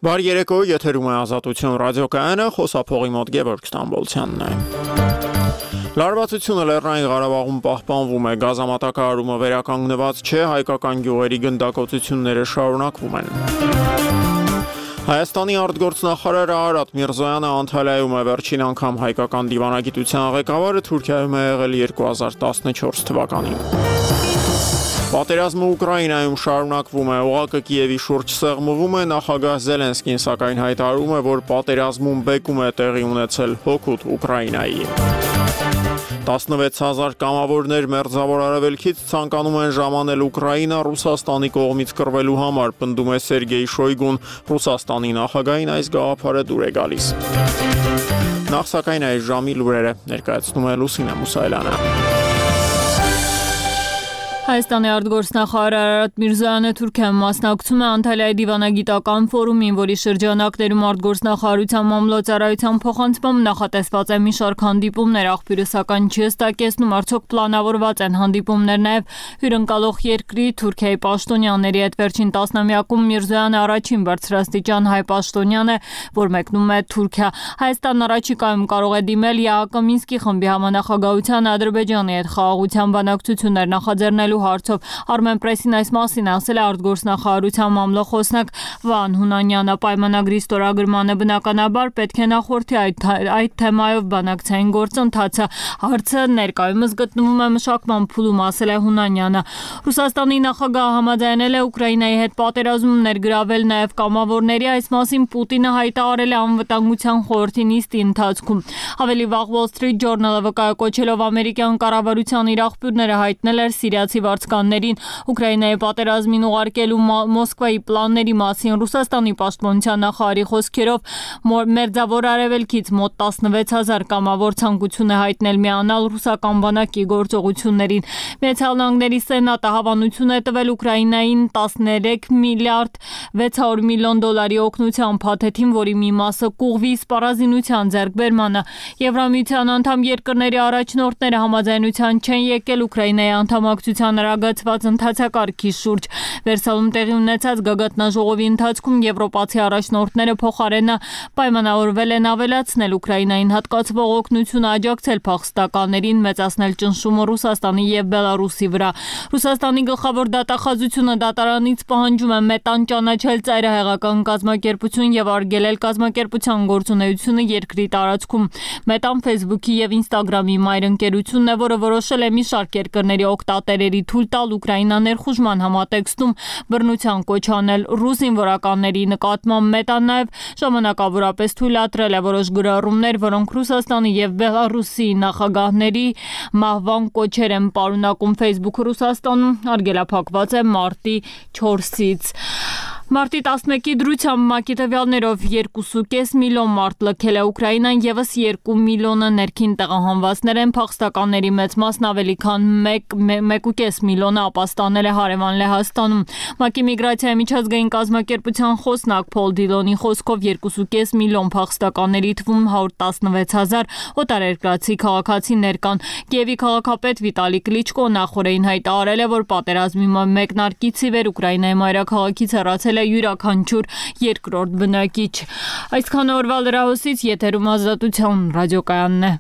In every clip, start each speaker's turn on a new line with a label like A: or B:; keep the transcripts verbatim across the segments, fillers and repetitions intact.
A: Բարի երեկո, եթերում է Ազատություն ռադիոկայանը, խոսափողի մոտ Գևորգ Ստամբոլցյանն է։ Լարվածությունը Լեռնային Ղարաբաղում պահպանվում է, գազամատակարարումը վերականգնված չէ, հայկական գյուղերի գնդակոծությունները շարունակվում են։ Հայաստանի արտգործնախարար Արարատ Միրզոյանը Անտալիայում է վերջին անգամ հայկական դիվանագիտության ղեկավարը Թուրքիայում է եղել երկու հազար տասնչորս թվականին։ Պատերազմը Ուկրաինայում շարունակվում է, օղակը Կիևի շուրջ սեղմվում է, նախագահ Զելենսկին սակայն հայտարարում է, որ պատերազմում բեկում է տեղի ունեցել հօգուտ Ուկրաինայի։ տասնվեց հազար կամավորներ Մերձավոր Արևելքից ցանկանում են ժամանել Ուկրաինա Ռուսաստանի կողմից կռվելու համար, պնդում է Սերգեյ Շոյգուն, Ռուսաստանի նախագահին այս գաղափարը դուր է գալիս։ Նախ սակայն այս ժամի լուրերը ներկայացնում է Լուսինե Մուսայելյանը։
B: Հայաստանի արտգործնախարար Արարատ Միրզոյանը Թուրքիայում մասնակցում է Անտալիայի դիվանագիտական ֆորումին, որի շրջանակներում արտգործնախարարության մամլոյցարայության փոխանցմամբ նախատեսված է մի շարք հանդիպումներ, աղբյուրը սակայն չի հստակեցնում, արդյոք պլանավորված են հանդիպումներ նաև հյուրընկալող երկրի Թուրքիայի պաշտոնյաների հետ։ Վերջին տասնամյակում Միրզոյանը առաջին բարձրաստիճան հայ պաշտոնյան է, որ մեկնում է Թուրքիա։ Հայաստանն առաջիկայում կարող է դիմել ԵԱՀԿ Մինսկի խմբի համանախագահության Ադրբեջանի հետ խաղաղության բանակցություններ նախաձեռնելու հարցով։ Armenpress-ին այս մասին ասել է արտգործնախարարության մամլոխոսնակ Վահան Հունանյանը։ Պայմանագրի ստորագրմանը բնականաբար պետք է նախորդի այդ, այդ թեմայով բանակցային գործընթացը։ Հարցը ներկայումս գտնվում է մշակման փուլում, ասել է Հունանյանը։ Ռուսաստանի նախագահը համաձայնել է Ուկրաինայի հետ պատերազմում ներգրավել նաև կամավորների, այս մասին Պուտինը հայտարարել է անվտանգության խորհրդի նիստի ընթացքում։ Ավելի վաղ Wall Street Journal-ը վկայակոչելով ամերիկյան կառավարության իր աղբյուրները հայտնել էր սիրիացի վարձկաններին Ուկրաինայի պատերազմին ուղարկելու Մոսկվայի պլանների մասին։ Ռուսաստանի պաշտպանության նախարարի խոսքերով Մերձավոր Արևելքից մոտ տասնվեց հազար կամավոր ցանկություն է հայտնել միանալ ռուսական բանակի գործողություններին։ Միացյալ Նահանգների Սենատը հավանություն է տվել Ուկրաինային տասներեք միլիարդ վեց հարյուր միլիոն դոլարի օգնության փաթեթին, որի մի մասը կուղվի սպառազինության ձեռքբերմանը։ Եվրամիության անդամ երկրների առաջնորդները համաձայնության չեն եկել Ուկրաինայի անդամակցության արագացված ընթացակարգի շուրջ։ Վերսալում տեղի ունեցած գագաթնաժողովի ընթացքում եվրոպացի առաջնորդները փոխարենը պայմանավորվել են ավելացնել Ուկրաինային հատկացվող օգնությունը, աջակցել փախստականներին, մեծացնել ճնշումը Ռուսաստանի եւ Բելարուսի վրա։ Ռուսաստանի գլխավոր դատախազությունը դատարանից պահանջում է մետան ճանաչել ծայրահեղական կազմակերպություն եւ արգելել կազմակերպության գործունեությունը երկրի տարածքում։ Մետան Facebook-ի եւ Instagram-ի մայր ընկերությունն է, որը որոշել է մի շարք երկրների օգտատերերի թույլ տալ Ուկրաինա ներխուժման համատեքստում բռնության կոչ անել ռուս զինվորականների նկատմամբ։ Մետան նաև ժամանակավորապես թույլատրել է որոշ գրառումներ, որոնք Ռուսաստանի եւ Բելարուսի նախագահների մահվան կոչեր են պարունակում։ Facebook-ը Ռուսաստանում արգելափակված է մարտի չորսից։ Մարտի տասնմեկի դրությամբ ՄԱԿ-ի տվյալներով երկու կես միլիոն մարդ լքել է Ուկրաինան, եւս երկու միլիոնը ներքին տեղահանվածներ են, փախստականների մեծ մասն ավելի քան մեկ կես միլիոնը ապաստանել է հարևան Լեհաստանում։ ՄԱԿ-ի միգրացիայի միջազգային կազմակերպության խոսնակ Փոլ Դիլոնի խոսքով երկու կես միլիոն փախստականների թվում հարյուր տասնվեց հազար օտարերկրացի քաղաքացիներ կան։ Կիևի քաղաքապետ Վիտալի Կլիչկոն նախորդին հայտարարել է, որ պատերազմի մեկնարկից ի վեր Ուկրաինայի մայրաքաղաքից հեռացել է յուրաքանչյուր երկրորդ բնակիչ։ Այսքան օրվա լրահոսից եթերում Ազատություն ռադիոկայանն է։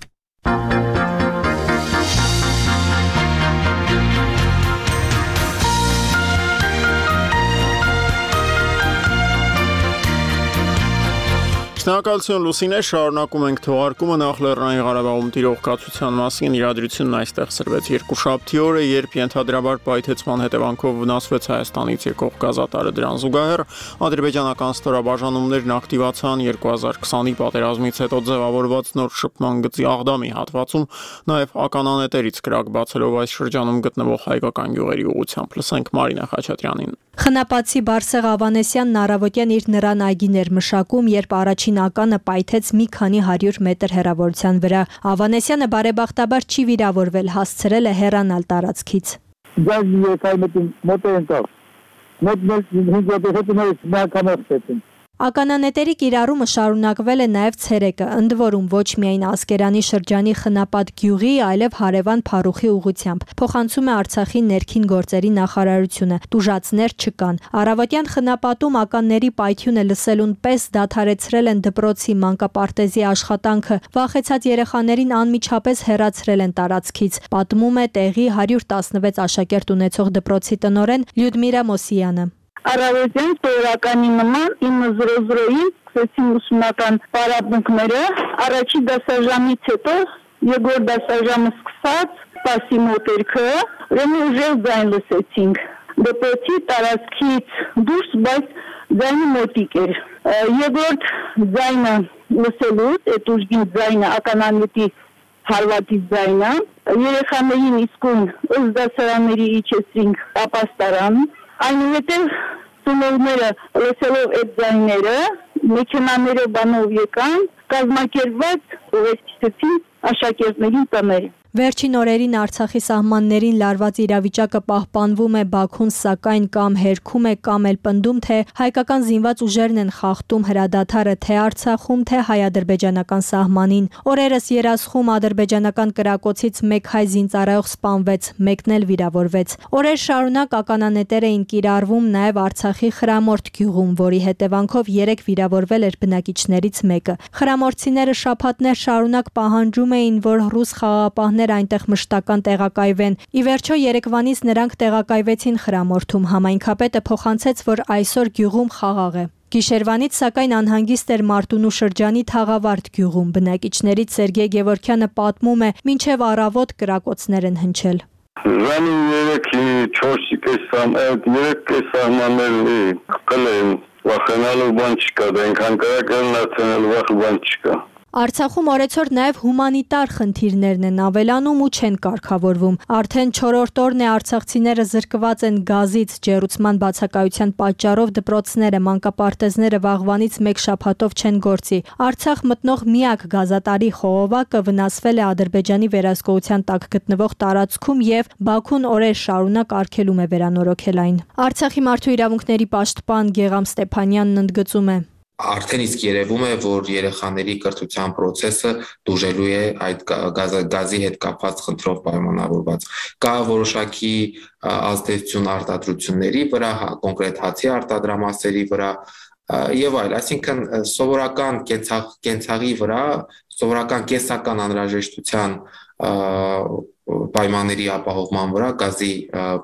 A: Շնորհակալություն Լուսինե, շարունակում ենք թողարկումը նախ Լեռնային Ղարաբաղում տիրող կացության մասին իրադրությունն այստեղ սրվեց երկուշաբթի օրը, երբ ենթադրաբար պայթեցման հետևանքով վնասվեց Հայաստանից եկող գազատարը։ Դրան զուգահեռ ադրբեջանական ստորաբաժանումներն ակտիվացան երկու հազար քսանի պատերազմից հետո ձևավորված նոր շփման գծի Աղդամի հատվածում, նաև ականանետերից կրակ բացելով այս շրջանում գտնվող հայկական գյուղերի ուղղությամբ։ Լսենք Մարինա Խաչատրյանին։
C: Խնապացի Բարսեղ Ավանեսյանն առավոտյան իր նրան այգիներ մշակում, երբ առաջին ականը պայթեց մի քանի հարյուր մետր հեռավորության վրա։ Ավանեսյանը բարեբախտաբար չի վիրավորվել, հասցրել է հեռանալ տարածքից։ Ականանետերի կիրառումը շարունակվել է նաև ցերեկը, ընդ որում ոչ միայն Ասկերանի շրջանի Խնապատ գյուղի, այլև հարևան Փարուխի ուղղությամբ, փոխանցում է Արցախի ներքին գործերի նախարարությունը, տուժածներ չկան։ Առավոտյան Խնապատում ականների պայթյունը լսելուն պես դադարեցրել են դպրոցի մանկապարտեզի աշխատանքը, վախեցած երեխաներին անմիջապես հեռացրել են տարածքից, պատմում է տեղի հարյուր տասնվեց աշակերտ ունեցող դպրոցի տնօրեն Լյուդմիրա Մոսյանը։
D: Առավոտյան սովորականի նման ինը զրո զրոյին սկսեցին ուսումնական պարապմունքները, առաջի դասաժամից հետո երկրորդ դասաժամը սկսած սպասի մոտերքը, ուրեմն ուժեղ ձայն լսեցինք, դպրոցի տարածքից դուրս, բայց ձայնը մոտիկ էր, երկրորդ ձայնը լսելուց, այդ ուժգին ձայնը ականանետի հարվածի ձայնը, երեխաներին իսկույն ըստ դասարանների իջեցրինք ապաստարան, այնուհետև ծնողները լսելով այդ ձայները, մեքենաներով բանով եկան, կազմակերպված ուղեկցեցին աշակերտներին տները։
C: Վերջին օրերին Արցախի սահմաններին լարված իրավիճակը պահպանվում է, Բաքուն սակայն կամ հերքում է, կամ էլ պնդում, թե հայկական զինված ուժերն են խախտում հրադադարը թե Արցախում, թե հայ-ադրբեջանական սահմանին։ Օրերս Երասխում ադրբեջանական կրակոցից մեկ հայ զինծառայող սպանվեց, մեկն էլ վիրավորվեց։ Օրեր շարունակ ականանետեր էին կիրառվում նաև Արցախի Խրամորդ գյուղում, որի հետևանքով երեք վիրավորվել էր բնակիչներից մեկը։ Խրամորդցիները շաբաթներ շարունակ պահանջում էին, որ ռուս խաղաղապահներ այնտեղ մշտական տեղակայվեն։ Ի վերջո երեկվանից նրանք տեղակայվեցին Խրամորդում, համայնքապետը փոխանցեց, որ այսօր գյուղում խաղաղ է։ Գիշերվանից սակայն անհանգիստ էր Մարտունու շրջանի Թաղավարտ գյուղում, բնակիչներից Սերգեյ Գևորքյանը պատմում է, մինչև առավոտ կրակոցներ են հնչել։
E: Զանի երեքի չորսի կեսան, այդ երեք կեսանաների կլեն, վախենալու բան չկա, դա ինքան կրակն արդեն վախ բան չկա։
C: Արցախում օրեցօր նաև հումանիտար խնդիրներն են ավելանում ու չեն կարգավորվում։ Արդեն չորրորդ օրն է արցախցիները զրկված են գազից, ջեռուցման բացակայության պատճառով դպրոցները, մանկապարտեզները վաղվանից մեկ շաբաթով չեն գործի։ Արցախ մտնող միակ գազատարի խողովակը վնասվել է Ադրբեջանի վերահսկողության տակ գտնվող տարածքում եւ Բաքուն օրեր շարունակ արգելում է վերանորոգել այն։ Արցախի մարդու իրավունքների պաշտպան Գեգամ Ստեփանյանն ընդգծում է.
F: Արդեն իսկ երևում է, որ երեխաների կրթության process-ը դուժելու է այդ գազի հետ կապված խնդրով պայմանավորված։ Կա որոշակի ազդեցություն արտադրությունների վրա, կոնկրետ հացի արտադրամասերի վրա եւ այլ, այսինքն սովորական կենցաղի վրա, սովորական կենսական անհրաժեշտության պայմանների ապահովման վրա գազի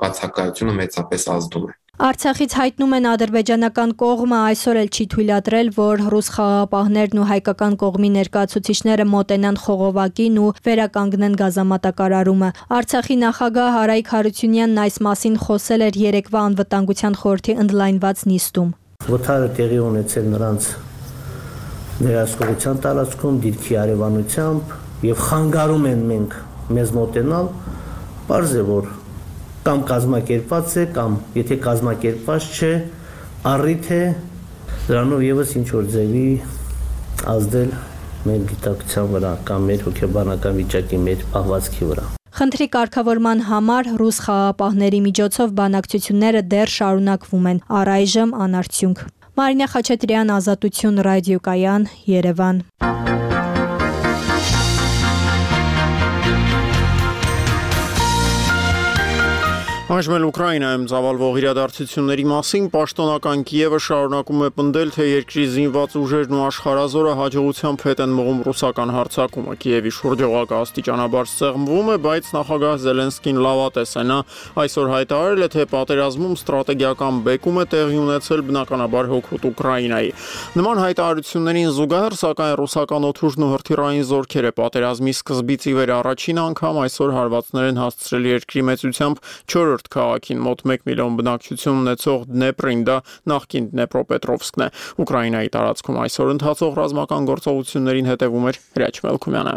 F: բացակայությունը մեծապես ազդում է։
C: Արցախից հայտնում են ադրբեջանական կողմը այսօր էլ չի թույլատրել, որ ռուս խաղաղապահներն ու հայկական կողմի ներկայացուցիչները մոտենան խողովակին ու վերականգնեն գազամատակարարումը։ Արցախի նախագահ Արայիկ Հարությունյանն այս մասին խոսել էր երեկվա անվտանգության խորհրդի ընդլայնված նիստում։
G: Վթարը տեղի ունեցել նրանց վերահսկողության տարածքում, դիրքի արևանությամբ եւ խանգարում են մենք մեզ մոտենալ, պարզ է որ կամ կազմակերպված է, կամ եթե կազմակերպված չէ, առիթ է դրանով եւս ինչ որ ձևի ազդել մեր գիտակցության վրա կամ մեր հոգեբանական վիճակի, մեր պահվածքի վրա։
C: Խնդրի կարգավորման համար ռուս խաղաղապահների միջոցով բանակցությունները դեռ շարունակվում են, առայժմ անարդյունք։ Մարինա Խաչատրյան, Ազատություն ռադիոկայան, Երևան։
A: Այժմ Ուկրաինայում ծավալվող իրադարձությունների մասին պաշտոնական Կիևը շարունակում է պնդել, թե երկրի զինված ուժերն ու աշխարհազորը հաջողությամբ հետ են մղում ռուսական հարձակումը։ Կիևի շուրջօղակը աստիճանաբար սեղմվում է, բայց նախագահ Զելենսկին լավատես է։ Նա այսօր հայտարարել է, թե պատերազմում ստրատեգիական բեկում է տեղի ունեցել բնականաբար հօգուտ Ուկրաինայի։ Նման հայտարարություններին զուգահեռ, սակայն ռուսական օդուժն ու հրթիռային զորքերը պատերազմի սկզբից ի վեր առաջին անգամ այսօր հարվածներ են հասցրել երկրի մեծությամբ չորրորդ քաղաքին, մոտ մեկ միլիոն բնակչություն ունեցող Դնեպրին, դա նախկին Դնեպրոպետրովսկն է։ Ուկրաինայի տարածքում այսօր ընթացող ռազմական գործողություններին հետևում էր Հրաչ Մելքումյանը։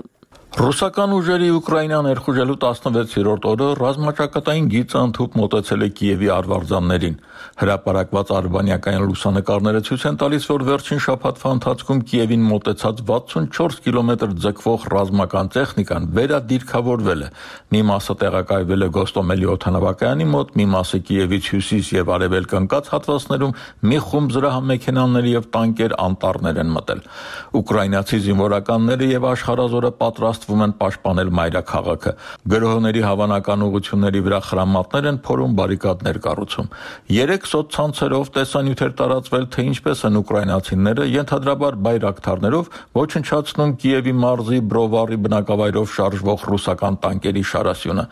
H: Ռուսական ուժերի Ուկրաինա ներխուժելու տասնվեցերորդ օրը ռազմաճակատային գիծը ընդհուպ մոտեցել է Կիևի արվարձաններին։ Հրապարակված արբանյակային լուսանկարները ցույց են տալիս, որ վերջին շաբաթվա ընթացքում Կիևին մոտեցած վաթսունչորս կիլոմետր ձգվող ռազմական տեխնիկան վերադիրքավորվել է։ Մի մասը տեղակայվել է Գոստոմելի օդանավակայանի մոտ, մի մասը Կիևից հյուսիս եւ արևելք ընկած հատվածներում մի խումբ զրահամեքենաներ եւ տանկեր անտառներ են մտել։ Ուկրաինացի զինվորականները եւ աշխարհազորը պատրաստվում են պաշտպանել մայրաքաղաքը։ Գրոհների հավանական ուղղությունների վրա խրամատներ են փորում, բարիկադներ կառուցում։ Երեք սոցցանցերով տեսանյութեր տարածվել, թե ինչպես են ուկրաինացիները ենթադրաբար բայրակթարներով ոչնչացնում Կիևի մարզի Բրովարի բնակավայրով շարժվող ռուսական տանկերի շարասյունը։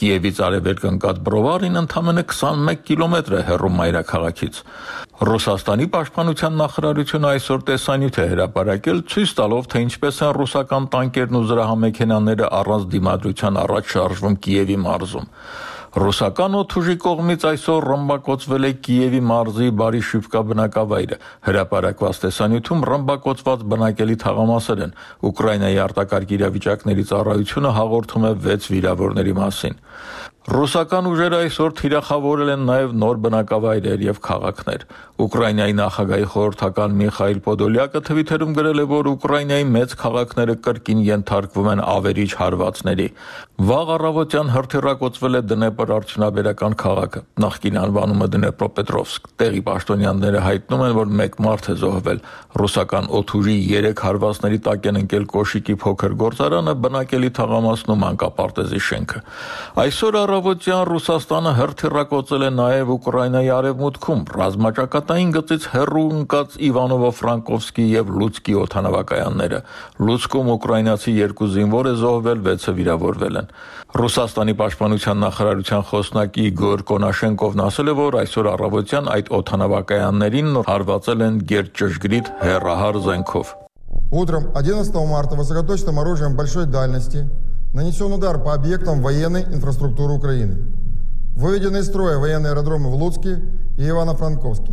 H: Կիևից արևելք ընկած Բրովարին ընդամենը քսանմեկ կիլոմետր է հեռու մայրաքաղաքից։ Ռուսաստանի պաշտպանության նախարարությունը այսօր տեսանյութ է հրապարակել, ցույց տալով, թե ինչպես են ռուսական տանկերն ու զրահամեքենաները առանց դիմադրության առաջ շարժվում Կիևի մարզում։ Ռուսական օդուժի կողմից այսօր ռմբակոծվել է Կիևի մարզի Բարիշիվկա բնակավայրը։ Հրապարակված տեսանյութում ռմբակոծված բնակելի թաղամասեր են։ Ուկրաինայի արտակարգ իրավիճակների ծառայությունը հաղորդում է վեց վիրավորների մասին։ Ռուսական ուժերը այսօր թիրախավորել են նաև նոր բնակավայրեր եւ քաղաքներ։ Ուկրաինայի նախագահի խորհրդական Միխայիլ Պոդոլյակը թվիթերում գրել է, որ Ուկրաինայի մեծ քաղաքները կրկին ենթարկվում են ավերիչ հարվածների։ Վաղ առավոտյան հրթիռակոծվել է Դնեպր արդյունաբերական քաղաքը, նախկին անվանումը Դնեպրոպետրովսկ։ Տեղի պաշտոնյաները հայտնում են, որ մեկ մարդ է զոհվել։ Ռուսական օդուժի երեք հարվածների տակ են ընկել Կոշիկի փոքր գործարանը, բնակելի թաղամասն ու մանկապարտեզի շենքը։ Այսօր առավոտյան Ռուսաստանը հրթիռակոծել է նաև Ուկրաինայի արևմուտքում ռազմաճակատային գծից հեռու ընկած Իվանովո-Ֆրանկովսկի եւ Լուցկի օդանավակայանները։ Լուցկում ուկրաինացի երկու զինվոր է զոհվել, վեցը վիրավորվել են։ Ռուսաստանի պաշտպանության նախարարության խոսնակ Իգոր Կոնաշենկովն ասել է, որ այսօր առավոտյան այդ օդանավակայաններին հարվածել են գերճշգրիտ հեռահար զենքով։
I: Утром одиннадцатого марта высокоточным оружием большой дальности нанесен удар по объектам военной инфраструктуры Украины. Выведены из строя военные аэродромы в Луцке и Ивано-Франковске.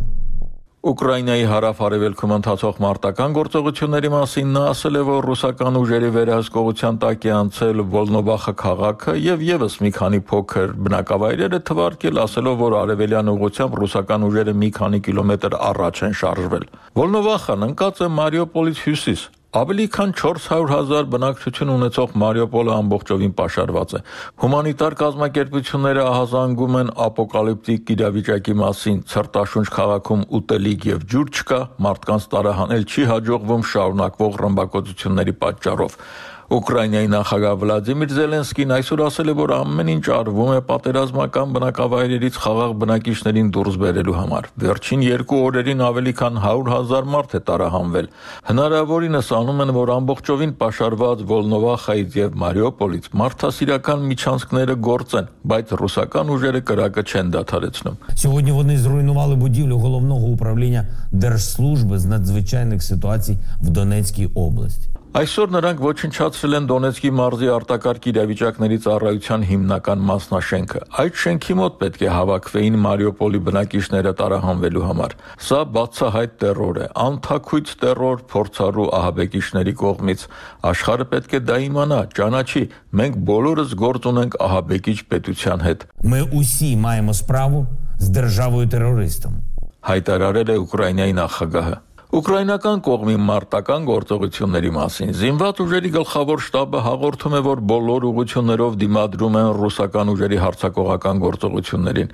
H: Ուկրաինայի հարավ-արևելքում ընթացող մարտական գործողությունների մասին նա ասել է, որ ռուսական ուժերի վերահսկողության տակ է անցել Վոլնովախը քաղաքը եւ եւս մի քանի փոքր բնակավայրեր է թվարկել, ասելով, որ արևելյան ուղղությամբ ռուսական ուժերը մի քանի կիլոմետր առաջ են շարժվել։ Վոլնովախն ընկած է Մարիուպոլից հյուսիս։ Ավելի քան չորս հարյուր հազար բնակչություն ունեցող Մարիուպոլը ամբողջովին պաշարված է։ Հումանիտար կազմակերպությունները ահազանգում են ապոկալիպտիկ իրավիճակի մասին, ցրտաշունչ քաղաքում ուտելիք եւ ջուր չկա, մարդկանց տարահանել չի հաջողվում շարունակվող ռմբակոծությունների պատճառով։ Ուկրաինայի նախագահ Վլադիմիր Զելենսկին այսօր ասել է, որ ամեն ինչ արվում է պատերազմական բնակավայրերից խաղաղ բնակիչներին դուրս բերելու համար։ Վերջին երկու օրերին ավելի քան հարյուր հազար մարդ է տարահանվել։ Հնարավորինս անում են, որ ամբողջովին պաշարված Վոլնովախայից եւ Մարիուպոլից մարդասիրական միջանցքները գործեն, բայց ռուսական ուժերը կրակը չեն դադարեցնում։
J: Сьогодні вони зруйнували будівлю головного управління Держслужби з надзвичайних ситуацій в Донецькій області.
H: Այսօր նրանք ոչնչացրել են Դոնեցկի մարզի արտակարգ իրավիճակների ծառայության հիմնական մասնաշենքը։ Այդ շենքի մոտ պետք է հավաքվեին Մարիուպոլի բնակիչները տարահանվելու համար։ Սա բացահայտ տեռոր է, անթաքույց տեռոր փորձառու ահաբեկիչների կողմից։ Աշխարհը պետք է դա իմանա, ճանաչի։ Մենք բոլորս գործ ունենք ահաբեկիչ պետության հետ։
J: Ми усі маємо справу з державою-терористом.
H: Հայտարարել է Ուկրաինայի նախագահը։ Ուկրաինական կողմի մարտական գործողությունների մասին զինված ուժերի գլխավոր շտաբը հաղորդում է, որ բոլոր ուղղություններով դիմադրում են ռուսական ուժերի հարձակողական գործողություններին։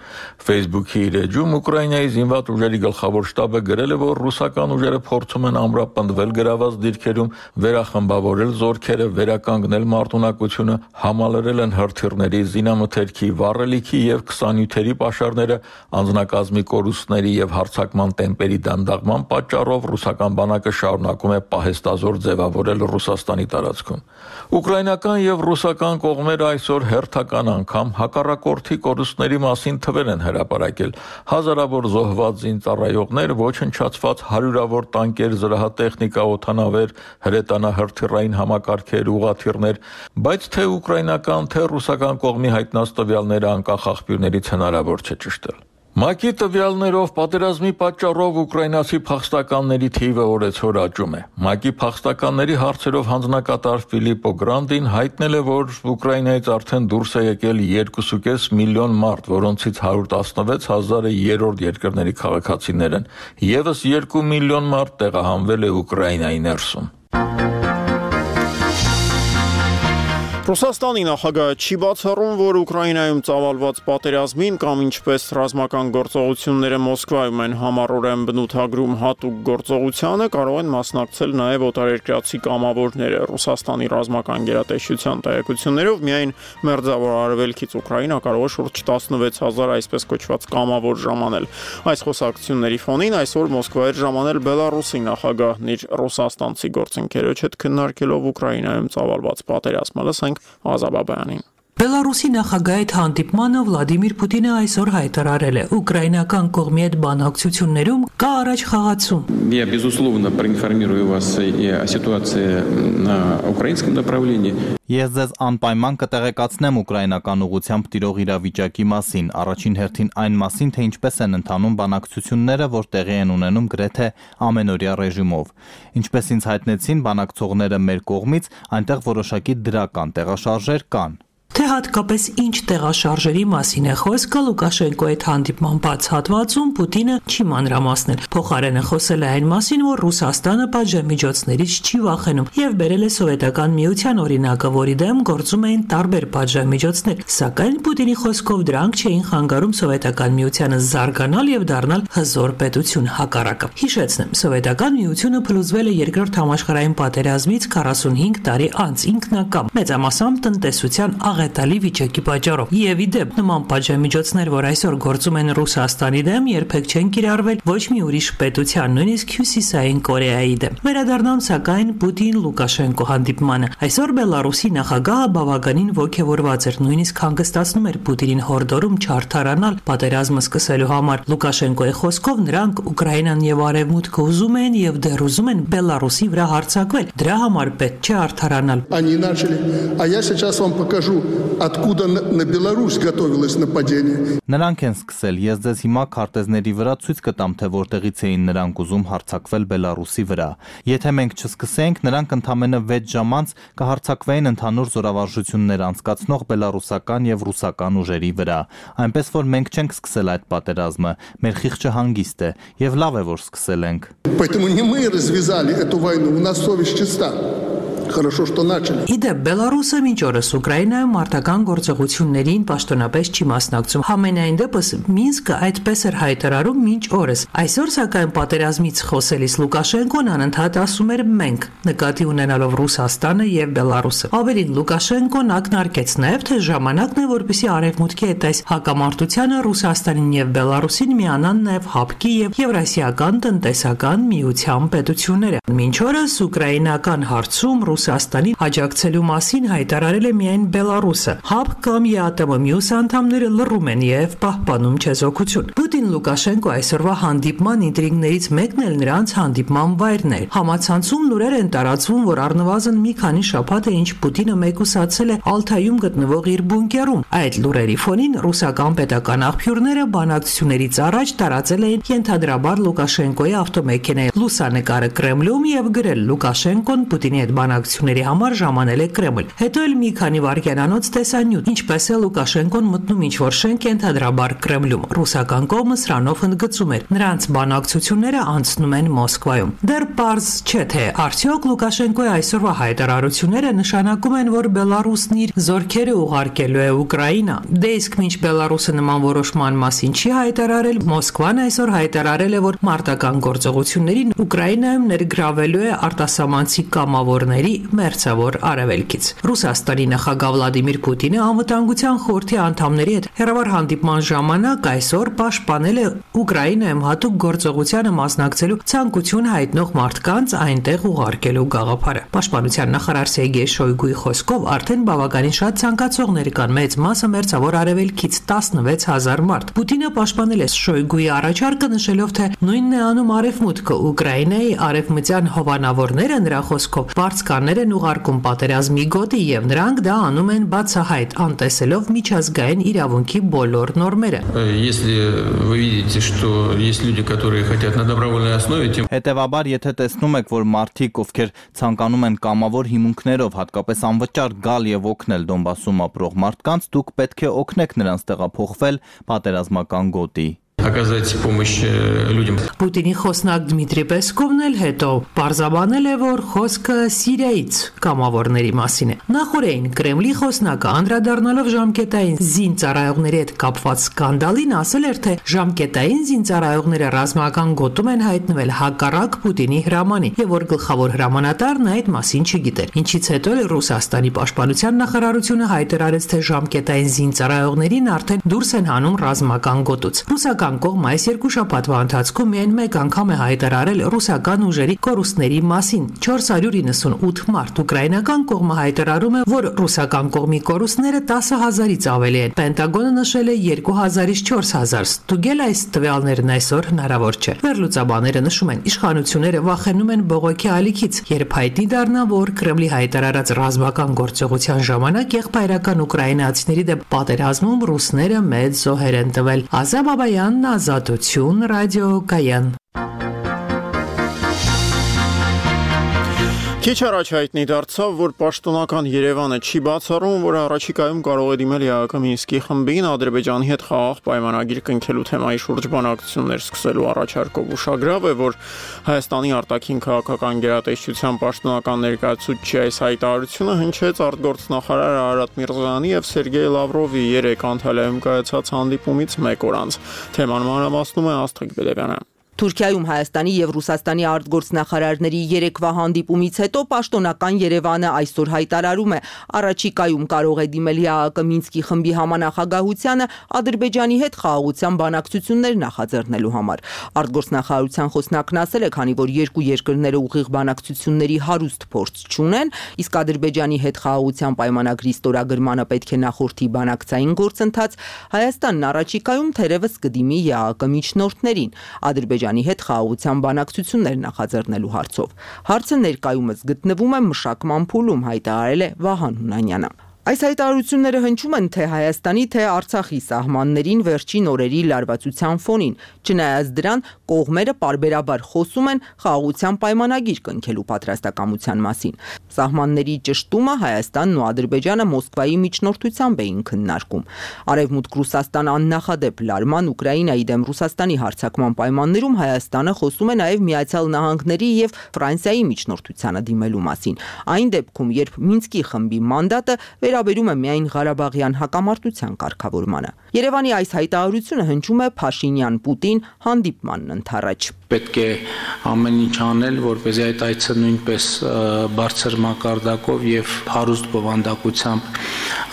H: Facebook-ի իր էջում Ուկրաինայի զինված ուժերի գլխավոր շտաբը գրել է, որ ռուսական ուժերը փորձում են ամրապնդվել գրաված դիրքերում, վերախմբավորել զորքերը, վերականգնել մարտունակությունը, համալրել են հրթիռների, զինամթերքի, վառելիքի եւ քսանյութերի պաշարները, անձնակազմի կորուստների եւ հարձակման տեմպերի դանդաղման պատճառով ռուսական բանակը շարունակում է պահեստազոր ձևավորել Ռուսաստանի տարածքում։ Ուկրաինական եւ ռուսական կողմերը այսօր հերթական անգամ հակառակորդի կորուստների մասին թվեր են հրապարակել։ Հազարավոր զոհված զինծառայողներ, ոչնչացված հարյուրավոր տանկեր, զրահատեխնիկա, օդանավեր, հրետանահրթիռային համակարգեր, ուղղաթիռներ, բայց թե ուկրաինական, թե ռուսական կողմի հայտնած տվյալները անկախ աղբյուրներից հնարավոր չէ ճշտել։ ՄԱԿ-ի տվյալներով պատերազմի պատճառով ուկրաինացի փախստականների թիվը օրեցօր աճում է։ ՄԱԿ-ի փախստականների հարցերով հանձնակատար Ֆիլիպպո Գրանդին հայտնել է, որ Ուկրաինայից արդեն դուրս է եկել երկու կես միլիոն մարդ, որոնցից հարյուր տասնվեց հազարը երրորդ երկրների քաղաքացիներ են։ Եվս երկու միլիոն մարդ տեղահանվել է Ուկրաինայի ներսում։
A: Ռուսաստանի նախագահը չի բացառում, որ Ուկրաինայում ծավալված պատերազմին կամ ինչպես ռազմական գործողությունները Մոսկվայում են համառորեն բնութագրում հատուկ գործողությանը կարող են մասնակցել նաև օտարերկրացի կամավորները։ Ռուսաստանի ռազմական գերատեսչության տեղեկություններով միայն մերձավոր արևելքից Ուկրաինա կարող է շուրջ տասնվեց հազար այսպես կոչված կամավոր ժամանել։ Այս խոսակցությունների ֆոնին այսօր Մոսկվա էր ժամանել Բելարուսի նախագահն իր ռուսաստանցի գործընկերոջ հետ քննարկելով Ուկրաինայում ծավալված պատերազմը։ Լսենք Ազաբաբյանին։
K: Բելարուսի նախագահի հետ հանդիպմանը Վլադիմիր Պուտինը այսօր հայտարարել է. Ուկրաինական կողմի հետ բանակցություններում կա առաջ խաղացում։
L: Я безусловно проинформирую вас о ситуации на украинском направлении.
M: Ես ձեզ անպայման կտեղեկացնեմ ուկրաինական ուղղությամբ տիրող իրավիճակի մասին, առաջին հերթին այն մասին, թե ինչպես են ընթանում բանակցությունները, որ տեղի են ունենում գրեթե ամենօրյա ռեժիմով։ Ինչպես ինձ հայտնեցին բանակցողները մեր կողմից, այնտեղ որոշակի դրական տեղաշարժեր կան։
K: Թե հատկապես ինչ տեղաշարժերի մասին է խոսքը Լուկաշենկոյի հետ հանդիպման բաց հատվածում Պուտինը չի մանրամասնել։ Փոխարենը խոսել է այն մասին, որ Ռուսաստանը պատժամիջոցներից չի վախենում եւ բերել է սովետական միության օրինակը, որի դեմ գործում էին տարբեր պատժամիջոցներ, սակայն Պուտինի խոսքով դրանք չէին խանգարում սովետական միությանը զարգանալ եւ դառնալ հզոր պետություն, հակառակը։ Հիշեցնեմ, սովետական միությունը փլուզվել է երկրորդ համաշխարհային պատերազմից քառասունհինգ տարի անց, ինքնակամ, մեծամասամբ տնտեսության աղետալի վիճակի պատճառով։ Եվ ի դեպ նման պատժամիջոցներ, որ այսօր գործում են Ռուսաստանի դեմ, երբեք չեն կիրառվել ոչ մի ուրիշ պետության, նույնիսկ Հյուսիսային Կորեայի դեմ։ Վերադառնամ սակայն Պուտին-Լուկաշենկո հանդիպմանը։ Այսօր Բելարուսի նախագահը բավականին ոգևորված էր, նույնիսկ հանգստացնում էր Պուտինին հորդորում չարթարանալ պատերազմը սկսելու համար։ Լուկաշենկոյի խոսքով նրանք Ուկրաինան եւ Արևմուտքը ուզում են եւ դեռ ուզում են Բելարուսի վրա հարձակվել։ Դրա համար պետք չէ արդարանալ։
N: Они начали, а я сейчас вам покажу, откуда на Беларусь готовилось нападение.
M: Նրանք են սկսել, ես ձեզ հիմա քարտեզների վրա ցույց կտամ, թե որտեղից էին նրանք ուզում հարձակվել Բելարուսի վրա։ Եթե մենք չսկսենք, նրանք ընդամենը վեց ժամ անց կհարձակվեին ընդհանուր զորավարժություններ անցկացնող բելարուսական եւ ռուսական ուժերի վրա։ Այնպես որ մենք չենք սկսել այդ պատերազմը, մեր խիղճը հանգիստ է եւ լավ է որ սկսել ենք։
N: Поэтому не мы развязали эту войну, у нас совесть чиста. Хорошо, что начали.
K: Իդեպ Բելարուսը մինչ օրս Ուկրաինայում մարտական գործողություններին պաշտոնապես չի մասնակցում։ Համենայն դեպս Մինսկը այդպես էր հայտարարում մինչ օրս։ Այսօր սակայն պատերազմից խոսելիս Լուկաշենկոն անընդհատ ասում էր մենք, նկատի ունենալով Ռուսաստանը եւ Բելարուսը։ Ավելին Լուկաշենկոն ակնարկեց նաեւ, թե ժամանակն է, որպեսզի Արևմուտքի հետ այս հակամարտությանը Ռուսաստանին եւ Բելարուսին միանան նաեւ ՀԱՊԿ-ի եւ Եվրասիական տնտեսական միության պետությունները։ Մինչ օրս ուկրաինական հարցում Ռուսաստանին աջակցելու մասին հայտարարել է միայն Բելարուսը։ ՀԱՊԿ կամ ԵԱՏՄ մյուս անդամները լռում են եւ պահպանում չեզոքություն։ Պուտին-Լուկաշենկո այսօրվա հանդիպման ինտրիգներից մեկն էլ նրանց հանդիպման վայրն է։ Համացանցում լուրեր են տարածվում, որ առնվազն մի քանի շաբաթ է ինչ Պուտինը մեկուսացել է Ալթայում գտնվող իր բունկերում։ Այդ լուրերի ֆոնին ռուսական պետական աղբյուրները բանակցություններից առաջ տարածել էին ենթադրաբար Լուկաշենկոյի ավտոմեքենայի լուսանկարը Կրեմլում եւ գրել Լուկաշենկոն Պուտինի հետ բանակցությունների համար ժամանել է Կրեմլ։ Հետո էլ մի քանի վայրկյանանոց տեսանյութ, ինչպես է Լուկաշենկոն մտնում ինչ-որ շենք ենթադրաբար Կրեմլում։ Ռուսական կողմը սրանով ընդգծում էր, նրանց բանակցությունները անցնում են Մոսկվայում։ Դեռ պարզ չէ, թե արդյոք Լուկաշենկոյի այսօրվա հայտարարությունները նշանակում են, որ Բելարուսն իր զորքերը ուղարկելու է Ուկրաինա։ Դե իսկ մինչ Բելարուսը նման որոշման մասին չի հայտարարել, Մոսկվան այսօր հայտարարել է, որ մարտական գործողություններին Ուկրաինայում ներգրավելու է արտասահմանցի կամավորների մերձավոր արևելքից։ Ռուսաստանի նախագահ Վլադիմիր Պուտինը անվտանգության խորհրդի անդամների հետ հերավար հանդիպման ժամանակ այսօր պաշտպանել է Ուկրաինայում հատուկ գործողությանը մասնակցելու ցանկություն հայտնող մարդկանց այնտեղ ուղարկելու գաղափարը։ Պաշտպանության նախարար Սերգեյ Շոյգուի խոսքով արդեն բավականին շատ ցանկացողներ կան, մեծ մասը մերձավոր արևելքից տասնվեց հազար մարդ։ Պուտինը պաշտպանել է Շոյգուի առաջարկը, նշելով, թե նույնն է անում Արևմուտքը։ Ուկրաինայի արևմտյան հովանավորները նրա խոսքով բարձ հայտարարներ են ուղարկում պատերազմի գոտի եւ նրանք դա անում են բացահայտ, անտեսելով միջազգային իրավունքի բոլոր նորմերը։
O: Если вы видите, что есть люди, которые хотят на добровольной основе, тем
M: Հետևաբար, եթե տեսնում եք, որ մարդիկ, ովքեր ցանկանում են կամավոր հիմունքներով, հատկապես անվճար գալ եւ օգնել Դոնբասում ապրող մարդկանց, դուք պետք է օգնեք նրանց տեղափոխվել պատերազմական գոտի։
O: Оказать помощь людям.
K: Պուտինի խոսնակ Դմիտրի Պեսկովն էլ հետո պարզաբանել է, որ խոսքը Սիրիայից կամավորների մասին է։ Նախորդին Կրեմլի խոսնակը անդրադառնալով ժամկետային զինծառայողների հետ կապված սկանդալին ասել էր, թե ժամկետային զինծառայողները ռազմական գոտում են հայտնվել հակառակ Պուտինի հրամանի, եւ որ գլխավոր հրամանատարն այդ մասին չգիտեր։ Ինչից հետո Ռուսաստանի պաշտպանության նախարարությունը հայտարարեց, թե ժամկետային զինծառայողներին արդեն դուրս են հանում ռազմական գոտուց։ Ռուսական կողմը այս երկու շաբաթվա ընթացքում միայն մեկ անգամ է հայտարարել ռուսական ուժերի կորուստների մասին։ չորս հարյուր իննսունութ մարդ ուկրաինական կողմը հայտարարում է, որ ռուսական կողմի կորուստները տասը հազարից ավելի են։ Պենտագոնը նշել է երկու հազարից չորս հազար։ Ստուգել այս տվյալներն այսօր հնարավոր չէ։ Վերլուծաբանները նշում են, իշխանությունները վախենում են բողոքի ալիքից, երբ հայտնի դառնա, որ Կրեմլի հայտարարած ռազմական գործողության ժամանակ եղբայրական ուկրաինացիների դեմ պատերազմում ռուսները մեծ զոհեր են տվել։ Ազա Բաբայան, Ազատություն, Ռադիո Կայան։
A: Քիչ առաջ հայտնի դարձավ, որ պաշտոնական Երևանը չի բացառում, որ առաջիկայում կարող է դիմել ԵԱՀԿ Մինսկի խմբին Ադրբեջանի հետ խաղաղ պայմանագիր կնքելու թեմայի շուրջ բանակցություններ սկսելու առաջարկով ուշագրավ է, որ Հայաստանի արտաքին քաղաքական գերատեսչության պաշտոնական ներկայացուցիչի այս հայտարարությունը հնչեց արտգործնախարար Արարատ Միրզոյանի եւ Սերգեյ Լավրովի երեք Անտալիայում կայացած հանդիպումից մեկ օր անց։ Թեման մանրամասնում է Աստղիկ Բելևյանը։
P: Թուրքիայում Հայաստանի եւ Ռուսաստանի արտգործնախարարների երեկվա հանդիպումից հետո պաշտոնական Երևանը այսօր հայտարարում է, առաջիկայում կարող է դիմել ԵԱՀԿ Մինսկի խմբի համանախագահությանը Ադրբեջանի հետ խաղաղության բանակցություններ նախաձեռնելու համար։ Արտգործնախարարության խոսնակն ասել է, քանի որ երկու երկրները ուղիղ բանակցությունների հարուստ փորձ չունեն, իսկ Ադրբեջանի հետ խաղաղության պայմանագրի ստորագրմանը պետք է նախորդի բանակցային գործընթաց, Հայաստանն առաջիկայում թերևս կդիմի ԵԱՀԿ միջնորդներին Ադրբեջանի հետ խաղաղության բանակցություններ նախաձեռնելու հարցով։ Հարցը ներկայումս գտնվում է մշակման փուլում, հայտարարել է Վահան Հունանյանը։ Այս հայտարարությունները հնչում են թե Հայաստանի, թե Արցախի սահմաններին վերջին օրերի լարվածության ֆոնին։ Չնայած դրան, կողմերը պարբերաբար խոսում են խաղաղության պայմանագիր կնքելու պատրաստակամության մասին։ Սահմանների ճշտումը Հայաստանն ու Ադրբեջանը Մոսկվայի միջնորդությամբ էին քննարկում։ Արևմուտք-Ռուսաստան աննախադեպ լարման Ուկրաինայի դեմ Ռուսաստանի հարձակման պայմաններում Հայաստանը խոսում է նաև Միացյալ Նահանգների եւ Ֆրանսիայի միջնորդությանը դիմելու մասին։ Այն դեպքում, երբ Մինսկի խմբի մանդատը վերաբերում է միայն Ղարաբաղյան հակամարտության կարգավորմանը։ Երևանի այս հայտարարությունը հնչում է Փաշինյան-Պուտին հանդիպմանն ընդառաջ։
Q: Պետք է ամեն ինչ անել, որպեսզի այդ այցը նույնպես բարձր մակարդակով եւ հարուստ բովանդակությամբ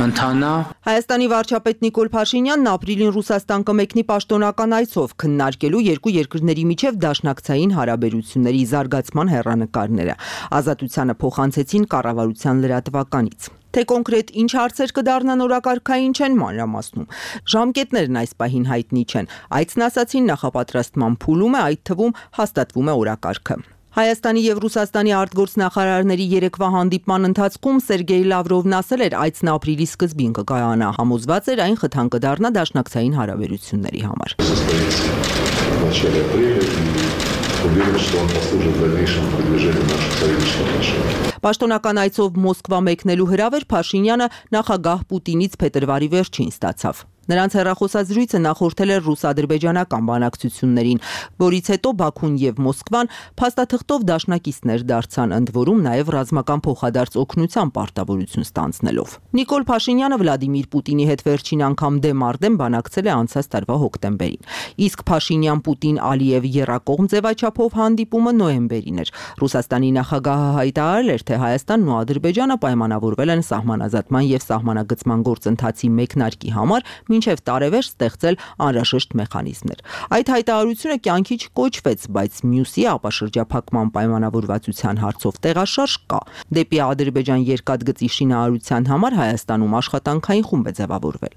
Q: ընթանա։
P: Հայաստանի վարչապետ Նիկոլ Փաշինյանն ապրիլին Ռուսաստան կմեկնի պաշտոնական այցով քննարկելու երկու երկրների միջև դաշնակցային հարաբերությունների զարգացման հեռանկարները։ Ազատությանը փոխանցեցին կառավարության լրատվականից։ Թե կոնկրետ ինչ հարցեր կդառնան օրակարգային չեն մանրամասնում։ Ժամկետներն այս պահին հայտնի չեն։ Այցն ասացին նախապատրաստման փուլում է, այդ թվում հաստատվում է օրակարգը։ Հայաստանի եւ Ռուսաստանի արտգործնախարարների երեկվա հանդիպման ընթացքում Սերգեյ Լավրովն ասել էր, այցն ապրիլի սկզբին կկայանա, համոզված էր այն խթան կդառնա դաշնակցային հարաբերությունների համար։
R: Уверен, что он послужит дальнейшему продвижению наших союзнических отношений.
P: Պաշտոնական այցով Մոսկվա մեկնելու հրավեր Փաշինյանը նախագահ Պուտինից փետրվարի վերջին ստացավ։ Նրանց հեռախոսազրույցը նախորդել էր ռուս-ադրբեջանական բանակցություններին, որից հետո Բաքուն եւ Մոսկվան փաստաթղթով դաշնակիցներ դարձան, ընդ որում նաեւ ռազմական փոխադարձ օգնության պարտավորություն ստանձնելով։ Նիկոլ Փաշինյանը Վլադիմիր Պուտինի հետ վերջին անգամ դեմ առ դեմ բանակցել է անցած տարվա հոկտեմբերին։ Իսկ Փաշինյան-Պուտին-Ալիև եռակողմ ձևաչափով հանդիպումը նոյեմբերին էր։ Ռուսաստանի նախագահը հայտարարել էր, թե Հայաստանն ու Ադրբեջանը պայմանավորվել են սահմանազատման եւ սահմանագծման գործընթացի մեկնարկի համար մինչև տարեվերջ ստեղծել անհրաժեշտ մեխանիզմներ։ Այդ հայտարարությունը կյանքի չկոչվեց, բայց մյուսի ապաշրջափակման պայմանավորվածության հարցով տեղաշարժ կա։ Դեպի Ադրբեջան երկաթգծի շինարարության համար Հայաստանում աշխատանքային խումբ է ձևավորվել։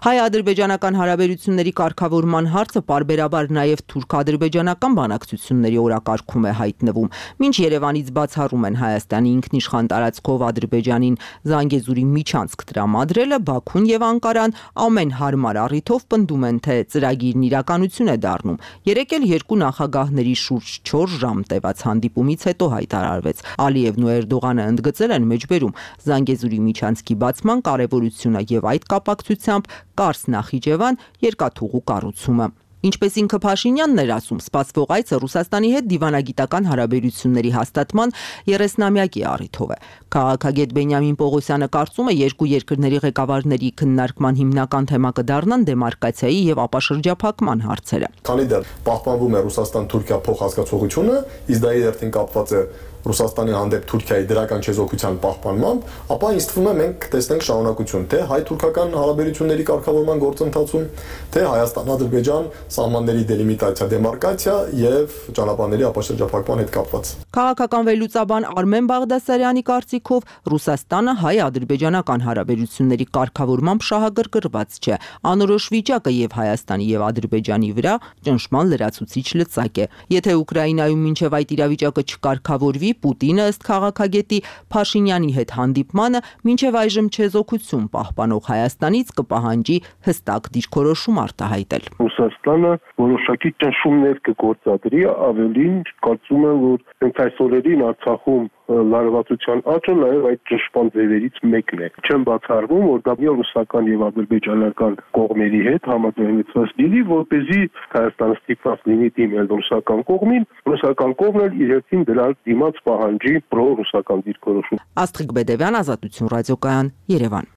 P: Հայ-ադրբեջանական հարաբերությունների կարգավորման հարցը պարբերաբար նաև թուրք-ադրբեջանական բանակցությունների օրակարգում է հայտնվում, մինչ Երևանից բացառում են Հայաստանի ինքնիշխան տարածքով Ադրբեջանին Զանգեզուրի միջանցք տրամադրելը, Բաքուն եւ Անկարան ամեն հարմար առիթով պնդում են, թե ծրագիրն իրականություն է դառնում։ Երեկ էլ երկու նախագահների շուրջ չորս ժամ տևած հանդիպումից հետո հայտարարվեց։ Ալիևն ու Էրդողանը ընդգծել են մեջբերում Զանգեզուրի միջանցքի բացման կարևորությունը եւ այդ կապակցությամբ Կարս Նախիջևան երկաթուղու կառուցումը։ Ինչպես ինքը Փաշինյանն էր ասում, սպասվող այցը Ռուսաստանի հետ դիվանագիտական հարաբերությունների հաստատման երեսնամյակի առիթով է։ Քաղաքագետ Բենյամին Պողոսյանը կարծում է, երկու երկրների ղեկավարների քննարկման հիմնական թեմա կդառնան դեմարկացիայի եւ ապաշրջափակման հարցերը։
S: Քանի դեռ պահպանվում է Ռուսաստան-Թուրքիա փոխհասկացողությունը, իսկ դա իդերտին կապված է Ռուսաստանի հանդեպ Թուրքիայի դրական չեզոքության պահպանմամբ, ապա ինձ թվում է մենք կտեսնենք շարունակություն թե հայ-թուրքական հարաբերությունների կարգավորման գործընթացում, թե Հայաստան-Ադրբեջան սահմանների դելիմիտացիա, դեմարկացիա եւ ճանապարհների ապաշրջափակման հետ կապված։
P: Քաղաքական վերլուծաբան Արմեն Բաղդասարյանի կարծիքով Ռուսաստանը հայ-ադրբեջանական հարաբերությունների կարգավորմամբ շահագրգռված չէ։ Անորոշ վիճակը եւ Հայաստանի եւ Ադրբեջանի վրա ճնշման լրացուցիչ լծակ է։ Եթե Ուկրաինայում մինչեւ այդ իրավիճակը չկարգավորվի, Պուտինը ըստ քաղաքագետի Փաշինյանի հետ հանդիպմանը մինչև այժմ չեզոքություն պահպանող Հայաստանից կպահանջի հստակ դիրքորոշում արտահայտել։
T: Ռուսաստանը որոշակի ճնշումներ կգործադրի, ավելին կարծում եմ, որ հենց այս օրերին Արցախում լարվածության աճը նաև այդ ճնշման ձևերից մեկն է։ Չեմ բացառվում, որ դա ռուսական եւ ադրբեջանական կողմերի հետ համաձայնեցված լինի, որպեսզի Հայաստանը ստիպված լինի դիմել ռուսական կողմին, ռուսական կողմն էլ իր հերթին դրա դիմաց պահանջի պրո-ռուսական դիրքորոշում։
P: Աստղիկ Բեդևյան, Ազատություն ռադիոկայան, Երևան։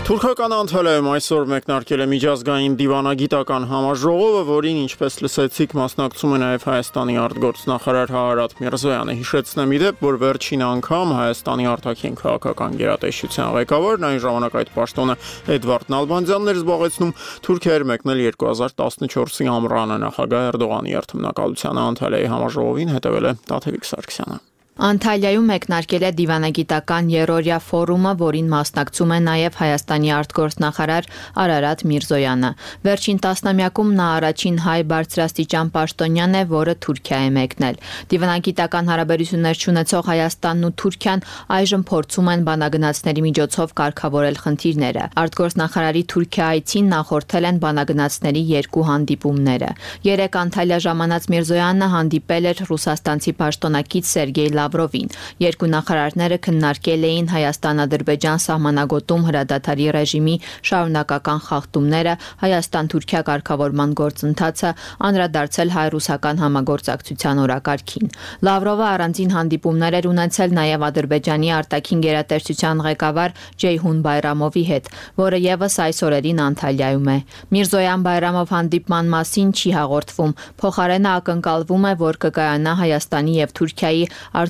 A: Թուրքական Անտալիայում այսօր մեկնարկել է միջազգային դիվանագիտական համաժողովը, որին, ինչպես լսեցիք, մասնակցում է նաև Հայաստանի արտգործնախարար Հարարատ Միրզոյանը։ Հիշեցնեմ ի դեպ, որ վերջին անգամ Հայաստանի արտաքին քաղաքական գերատեսչության ղեկավարն այն ժամանակ այդ պաշտոնը Էդվարդ Նալբանդյանն էր զբաղեցնում, Թուրքիա էր մեկնել երկու հազար տասնչորսի ամռանը նախագահ Էրդողանի երթմնակալությանը Անտալիայի համաժողովին հետևել է Տաթևիկ Սարգսյանը։
U: Անտալիայում մեկնարկել է դիվանագիտական երրորդյա ֆորումը, որին մասնակցում է նաև Հայաստանի արտգործնախարար Արարատ Միրզոյանը։ Վերջին տասնամյակում նա առաջին հայ բարձրաստիճան պաշտոնյան է, որը Թուրքիա է մեկնել։ Դիվանագիտական հարաբերություններ ունեցող Հայաստանն ու Թուրքիան այժմ փորձում են բանագնացների միջոցով կարգավորել խնդիրները։ Արտգործնախարարի Թուրքիա այցին նախորդել են բանագնացների երկու հանդիպումները։ Երեկ Անտալիա ժամանած Միրզոյանը հանդիպել էր ռուսաստանցի պաշտոնակից Սերգեյ Լավրովին։ Երկու նախարարները քննարկել էին Հայաստան-Ադրբեջան սահմանագոտում հրադադարի ռեժիմի շարունակական խախտումները, Հայաստան-Թուրքիա կարգավորման գործընթացը, անդրադարձել հայ-ռուսական համագործակցության օրակարգին։ Լավրովը առանձին հանդիպումներ էր ունեցել նաև Ադրբեջանի արտաքին գերատեսչության ղեկավար Ջեյհուն Բայրամովի հետ, որը եւս այս օրերին Անտալիայում է։ Միրզոյան Բայրամով հանդիպման մասին չի հաղորդվում, փոխարենը ակնկալվում է, որ կկայանա Հայաստանի եւ Թուրքիայի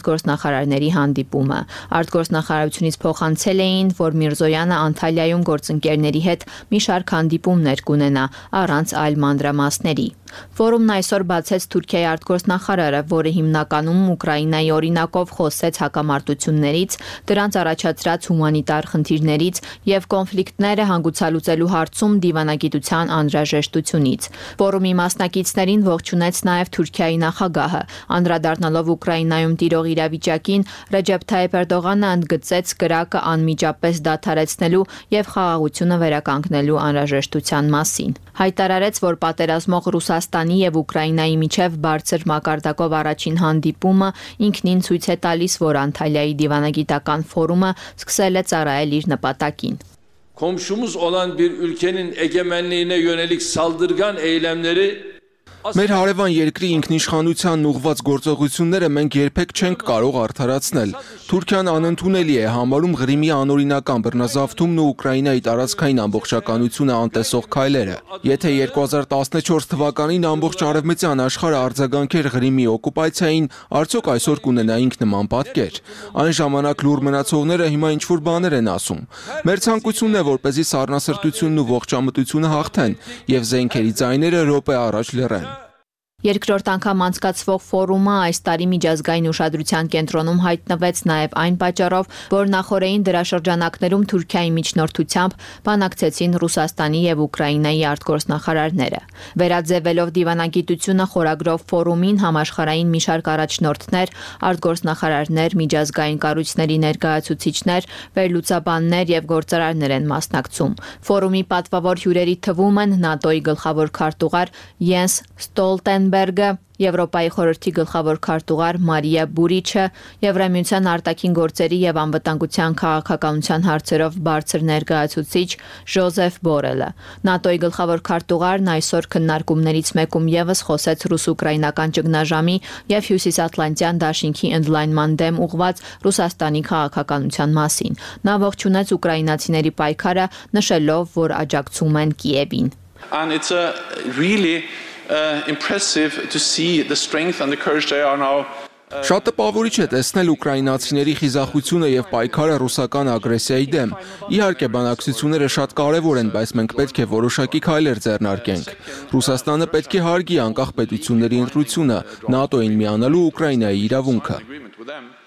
U: արտգործնախարարների հանդիպումը։ Արտգործնախարարությունից փոխանցել էին, որ Միրզոյանը Անտալիայում գործընկերների հետ մի շարք հանդիպումներ կունենա առանց այլ մանրամասների։ Ֆորումն այսօր բացեց Թուրքիայի արտգործնախարարը, որը հիմնականում Ուկրաինայի օրինակով խոսեց հակամարտություններից, դրանց առաջացրած հումանիտար խնդիրներից եւ կոնֆլիկտները հանգուցալուծելու հարցում դիվանագիտության անհրաժեշտությունից։ Ֆորումի մասնակիցներին ողջունեց նաեւ Թուրքիայի նախագահը, անդրադառնալով Ուկրաինայում տիրող իրավիճակին, Ռեջեփ Թայիփ Էրդողանը ընդգծեց կրակը անմիջապես դադարեցնելու եւ խաղաղությունը վերականգնելու անհրաժեշտության մասին։ Հայտարարեց, որ պատերազմող Ռուսաստանի եւ Ուկրաինայի միջև բարձր մակարդակով առաջին հանդիպումը ինքնին ցույց է տալիս, որ Անտալիայի դիվանագիտական ֆորումը սկսել է ծառայել իր նպատակին։
V: Komşumuz olan bir ülkenin egemenliğine yönelik saldırgan eylemleri
B: Մեր հարևան երկրի ինքնիշխանությանն ուղղված գործողությունները մենք երբեք չենք կարող արդարացնել։ Թուրքիան անընդունելի է համարում Ղրիմի անօրինական բռնազավթումն ու Ուկրաինայի տարածքային ամբողջականությունը անտեսող քայլերը։ Եթե երկու հազար տասնչորս թվականին ամբողջ արևմտյան աշխարհը արձագանքեր Ղրիմի օկուպացիային, արդյոք այսօր կունենայինք նման պատկեր։ Այն ժամանակ լուր մնացողները հիմա ինչ-որ բաներ են ասում։ Մեր ցանկությունն է, որպեսզի սառնասրտությունն ու ողջամտությունը հաղթեն եւ զենքերի ձայները րոպե առաջ լռեն։
U: Երկրորդ անգամ անցկացվող ֆորումը այս տարի միջազգային ուշադրության կենտրոնում հայտնվեց նաև այն պատճառով, որ նախորդային դրաշրջանակներում Թուրքիայի միջնորդությամբ բանակցեցին Ռուսաստանի եւ Ուկրաինայի արտգործնախարարները։ Վերաձևելով դիվանագիտությունը խորագրով ֆորումին համաշխարհային մի շարք առաջնորդներ, արտգործնախարարներ, միջազգային կառույցների ներկայացուցիչներ, վերլուծաբաններ եւ գործարարներ են մասնակցում։ Ֆորումի պատվավոր հյուրերի թվում են ՆԱՏՕ-ի գլխավոր քարտուղար Յենս Ստոլտենբերգը, Եվրոպայի խորհրդի գլխավոր քարտուղար Մարիա Բուրիչը, Եվրամիության արտաքին գործերի եւ անվտանգության քաղաքականության հարցերով բարձր ներկայացուցիչ Ժոզեֆ Բորելը։ ՆԱՏՕ-ի գլխավոր քարտուղարն այսօր քննարկումներից մեկում եւս խոսեց ռուս-ուկրաինական ճգնաժամի եւ հյուսիսատլանտյան դաշինքի ընդլայնման դեմ ուղղված Ռուսաստանի քաղաքականության մասին։ Նա ողջունեց ուկրաինացիների պայքարը, նշելով, որ աջակցում են Կիևին։
V: And it's a really Uh, impressive to see the strength and the courage they are now.
B: Շատ տպավորիչ է տեսնել ուկրաինացիների խիզախությունը եւ պայքարը ռուսական ագրեսիայի դեմ։ Իհարկե բանակցությունները շատ կարեւոր են, բայց մենք պետք է որոշակի քայլեր ձեռնարկենք։ Ռուսաստանը պետք է հարգի անկախ պետությունների ընտրությունը, ՆԱՏՕ-ին միանալու Ուկրաինայի իրավունքը։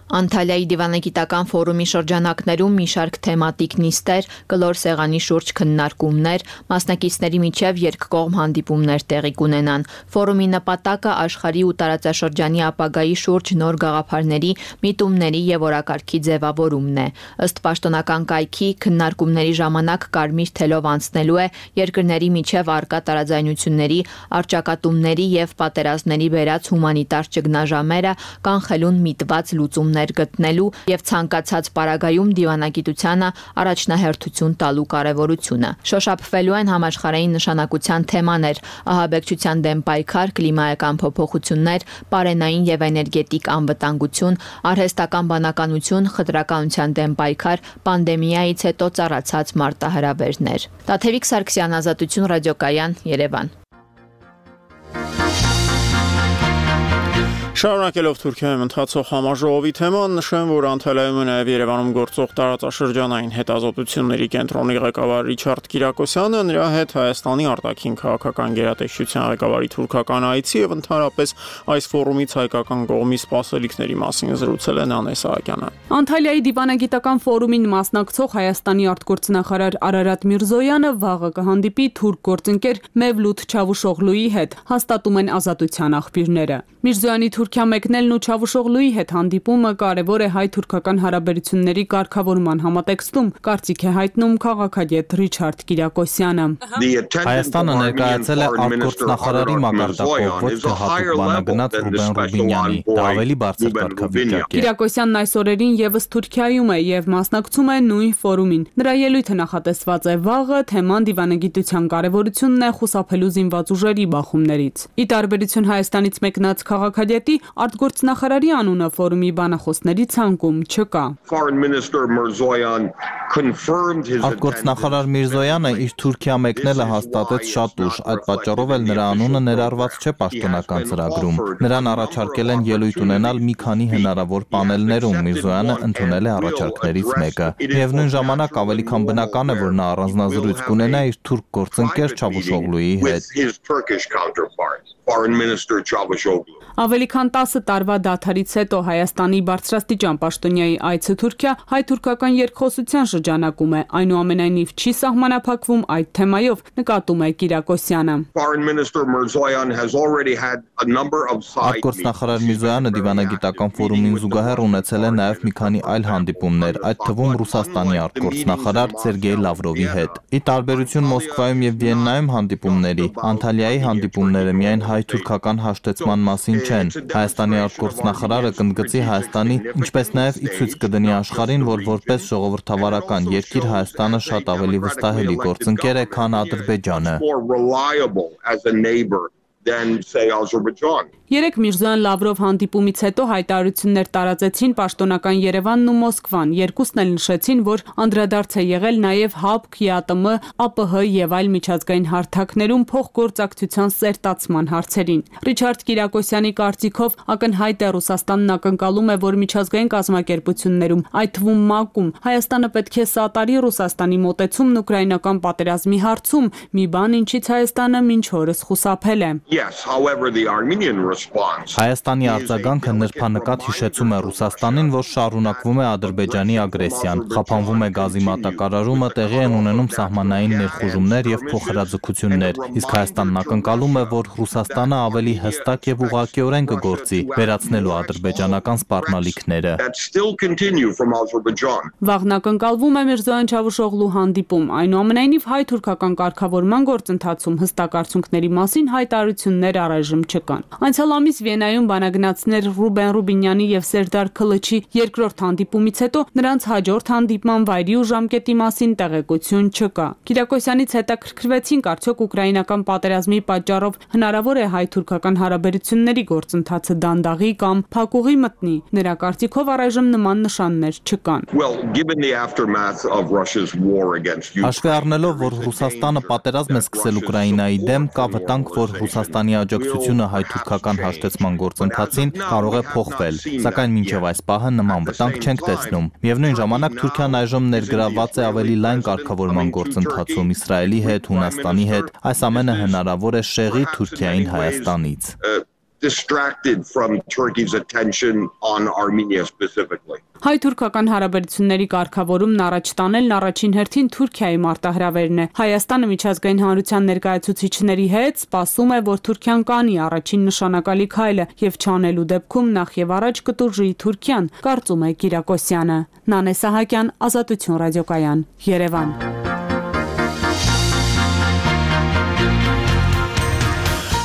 U: Անտալիայի դիվանագիտական ֆորումի շրջանակներում մի շարք թեմատիկ նիստեր, կլոր սեղանի շուրջ քննարկումներ, մասնակիցների միջև երկկողմ հանդիպումներ տեղի կունենան։ Ֆորումի նպատակը աշխարհի ու տարածաշրջանի ապագայի շուրջ նոր գաղափարների, միտումների եւ օրակարգի ձևավորումն է։ Ըստ պաշտոնական կայքի, քննարկումների ժամանակ կարմիր թելով անցնելու է երկրների միջև արկա տարաձայնությունների, առճակատումների եւ պատերազմների բերած հումանիտար ճգնաժամերը, կանխելուն միտված լուծումներ գտնելու եւ ցանկացած պարագայում դիվանագիտությանը առաջնահերթություն տալու կարեւորությունը։ Շոշափվելու են համաշխարհային նշանակության թեմաներ՝ ահաբեկչության դեմ պայքար, կլիմայական փոփոխություններ, պարենային եւ էներգետիկ անվտանգություն, արհեստական բանականություն, խտրականության դեմ պայքար, պանդեմիայից հետո ծառացած մարտահրավերներ։ Տաթևիկ Սարգսյան, Ազատություն ռադիոկայան, Երևան։
A: Շարունակելով Թուրքիայում ընթացող համաժողովի թեման, նշեմ, որ Անտալիայում է նաև Երևանում գործող տարածաշրջանային հետազոտությունների կենտրոնի ղեկավար Ռիչարդ Կիրակոսյանը, նրա հետ Հայաստանի արտաքին քաղաքական գերատեսչության ղեկավարի թուրքական այցի եւ ընդհանրապես այս ֆորումից հայկական կողմի սպասելիքների մասին զրուցել է Նանե Սահակյանը։
W: Անտալիայի դիվանագիտական ֆորումին մասնակցող Հայաստանի արտգործնախարար Արարատ Միրզոյանը վաղը կհանդիպի թուրք գործընկեր Մևլութ Չավուշօղլուի հետ, հաստատում են Ազատության աղբյուրները։ Միրզոյանի Թուրքիա մեկնելն ու Չավուշօղլուի հետ հանդիպումը կարևոր է հայ-թուրքական հարաբերությունների կարգավորման համատեքստում, կարծիք է հայտնում քաղաքագետ Ռիչարդ Կիրակոսյանը։
M: Հայաստանը ներկայացել է արտգործնախարարի մակարդակով, ոչ թե հատուկ բանագնաց Ռուբեն Ռուբինյանի, դա ավելի բարձր կարգավիճակ է։
W: Կիրակոսյանն այս օրերին եւս Թուրքիայում է եւ մասնակցում է նույն ֆորումին։ Նրա ելույթը նախատեսված է վաղը, թեման դիվանագիտության կարևորությունն է խուսափելու զինված ուժերի բախումներից։ Ի տարբերություն Հայաստանից մեկնած քաղաքագետի, արտգործնախարարի անունը ֆորումի բանախոսների ցանկում չկա։
M: Արտգործնախարար Միրզոյանը իր Թուրքիա մեկնելը հաստատեց շատ ուշ, այդ պատճառով էլ նրա անունը ներառված չէ պաշտոնական ծրագրում։ Նրան առաջարկել են ելույթ ունենալ մի քանի հնարավոր պանելներում, Միրզոյանը ընդունել է առաջարկներից մեկը։ Միևնույն ժամանակ ավելի քան բնական է, որ նա առանձնազրույց կունենա իր թուրք գործընկեր Չավուշօղլուի հետ։
W: Ավելի քան տասը տարվա դադարից հետո Հայաստանի բարձրաստիճան պաշտոնյայի այցը Թուրքիա հայ-թուրքական երկխոսության շրջանակում է, այնուամենայնիվ չի սահմանափակվում այդ թեմայով, նկատում է Կիրակոսյանը։
M: Արտգործնախարար Միրզոյանը դիվանագիտական ֆորումին զուգահեռ ունեցել է նաև մի քանի այլ հանդիպումներ, այդ թվում Ռուսաստանի արտգործնախարար Սերգեյ Լավրովի հետ։ Ի տարբերություն Մոսկվայում եւ Վիեննայում հանդիպումների, Անտալիայի հանդիպումները միայն հայ-թուրքական հաշտեցման մասին չեն։ Հայաստանի արտգործնախարարը կընդգծի Հայաստանի, ինչպես նաև ի ցույց կդնի աշխարհին, որ որպես ժողովրդավարական երկիր Հայաստանը շատ ավելի վստահելի գործընկեր է, քան Ադրբեջանը։
D: than say Azerbaijan.
W: Երեք Միրզոյան Լավրով հանդիպումից հետո հայտարարություններ տարածեցին պաշտոնական Երևանն ու Մոսկվան։ Երկուսն էլ նշեցին, որ անդրադարձ է եղել նաև ՀԱՊԿ, ԵԱՏՄ, ԱՊՀ եւ այլ միջազգային հարթակներում փոխգործակցության սերտացման հարցերին։ Ռիչարդ Կիրակոսյանի կարծիքով ակնհայտ է Ռուսաստանն ակնկալում է, որ միջազգային կազմակերպություններում, այդ թվում ՄԱԿ-ում, Հայաստանը պետք է սատարի Ռուսաստանի մոտեցումն ուկրաինական պատերազմի հարցում, մի բան, ինչից Հայաստանը մինչ օրս խուսափել է։
D: Yes, however, the Armenian
M: Հայաստանի արձագանքը նրբանկատ հիշեցում է Ռուսաստանին, որ շարունակվում է Ադրբեջանի ագրեսիան, խափանվում է գազի մատակարարումը, տեղի են ունենում սահմանային ներխուժումներ եւ փոխհրաձգություններ, իսկ Հայաստանն ակնկալում է, որ Ռուսաստանը ավելի հստակ եւ ուղղակիորեն կգործի, վերացնելու ադրբեջանական սպառնալիքները։
W: Վաղն ակնկալվում է Միրզոյան Չավուշօղլու հանդիպում, այնուամենայնիվ հայ-թուրքական կարգավորման գործընթացում հստակ արդյունքների մասին հայտարարություններ առայժմ չկան։ Անցյալ ամիս Վիեննայում բանագնացներ Ռուբեն Ռուբինյանի եւ Սերդար Քլիչի երկրորդ հանդիպումից հետո նրանց հաջորդ հանդիպման վայրի ու ժամկետի մասին տեղեկություն չկա։ Կիրակոսյանից հետաքրքրվեցինք, արդյոք ուկրաինական պատերազմի պատճառով հնարավոր է հայ-թուրքական հարաբերությունների գործընթացը դանդաղի կամ փակուղի մտնի։ Նրա կարծիքով առայժմ նման նշաններ չկան։
M: Հաշվի առնելով, որ Ռուսաստանը պատերազմ է սկսել Ուկրաինայի դեմ, կա վտանգ, որ Ռուսաստանի աջակցությունը հայ-թուրքական հաշտեցման գործընթացին կարող է փոխվել, սակայն մինչև այս պահը նման վտանգ չենք տեսնում։ Միևնույն ժամանակ Թուրքիան այժմ ներգրավված է ավելի լայն կարգավորման գործընթացում Իսրայելի հետ, Հունաստանի հետ, այս ամենը հնարավոր է շեղի Թուրքիային Հայաստանից։
D: Distracted from Turkey's attention on Armenia specifically.
W: Հայ-թուրքական հարաբերությունների կարգավորումն առաջ տանելն առաջին հերթին Թուրքիայի մարտահրավերն է։ Հայաստանը միջազգային հանրության ներկայացուցիչների հետ սպասում է, որ Թուրքիան կանի առաջին նշանակալի քայլը եւ չանելու դեպքում նախ եւ առաջ կտուժի Թուրքիան, կարծում է Կիրակոսյանը։ Նանե Սահակյան, Ազատություն ռադիոկայան, Երևան։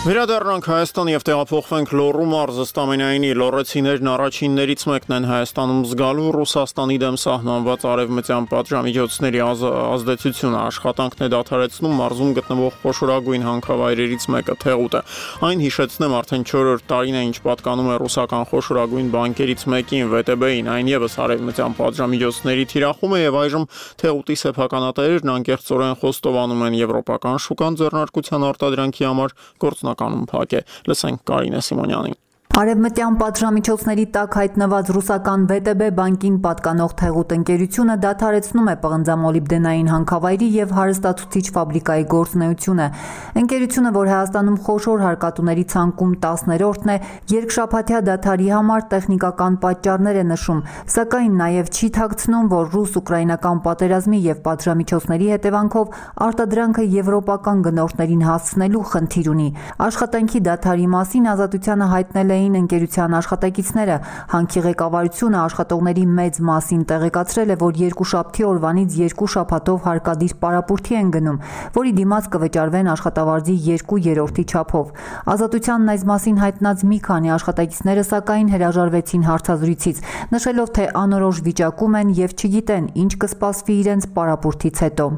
A: Վերադառնանք Հայաստան եւ տեղափոխվենք Լոռու մարզը ստամենայինի լոռեցիներն առաջիններից մեկն են Հայաստանում զգալու Ռուսաստանի դեմ սահմանված արևմտյան պատժամիջոցների ազդեցությունը աշխատանքն է դադարեցնում մարզում գտնվող խոշորագույն հանքավայրերից մեկը Թեղուտը։ Այն հիշեցնեմ արդեն չորրորդ տարին է ինչ պատկանում է ռուսական խոշորագույն բանկերից մեկին վե տե բե-ին, այն եւս արևմտյան պատժամիջոցների թիրախում է եւ այժմ Թեղուտի սեփականատերերն անկեղծորեն խոստովանում են եվրոպական շուկան ձեռնարկության արտադրանքի համար գործ կանոն փակ է։ Լսենք Կարինե Սիմոնյանին։
E: Արևմտյան պատժամիջոցների տակ հայտնված ռուսական վե տե բե բանկին պատկանող Թեղուտ ընկերությունը դադարեցնում է պղնձամոլիբդենային հանքավայրի եւ հարստացուցիչ ֆաբրիկայի գործունեությունը։ Ընկերությունը, որ Հայաստանում խոշոր հարկատուների ցանկում տասներորդն է, երկշաբաթյա դադարի համար տեխնիկական պատճառներ է նշում, սակայն նաեւ չի թաքցնում, որ ռուս-ուկրաինական պատերազմի եւ պատժամիջոցների հետևանքով արտադրանքը եվրոպական գնորդներին հասցնելու խնդիր ունի։ Աշխատանքի դադարի մասին Ազատությանը հայտնել է ընկերության աշխատակիցները։ Հանքի ղեկավարությունը աշխատողների մեծ մասին տեղեկացրել է, որ երկուշաբթի օրվանից երկու շաբաթով հարկադիր պարապուրդի են գնում, որի դիմաց կվճարվեն աշխատավարձի երկու երրորդի չափով։ Ազատությանն այս մասին հայտնած մի քանի աշխատակիցները սակայն հրաժարվեցին հարցազրույցից, նշելով, թե անորոշ վիճակում են եւ չգիտեն ինչ կսպասվի իրենց պարապուրդից հետո։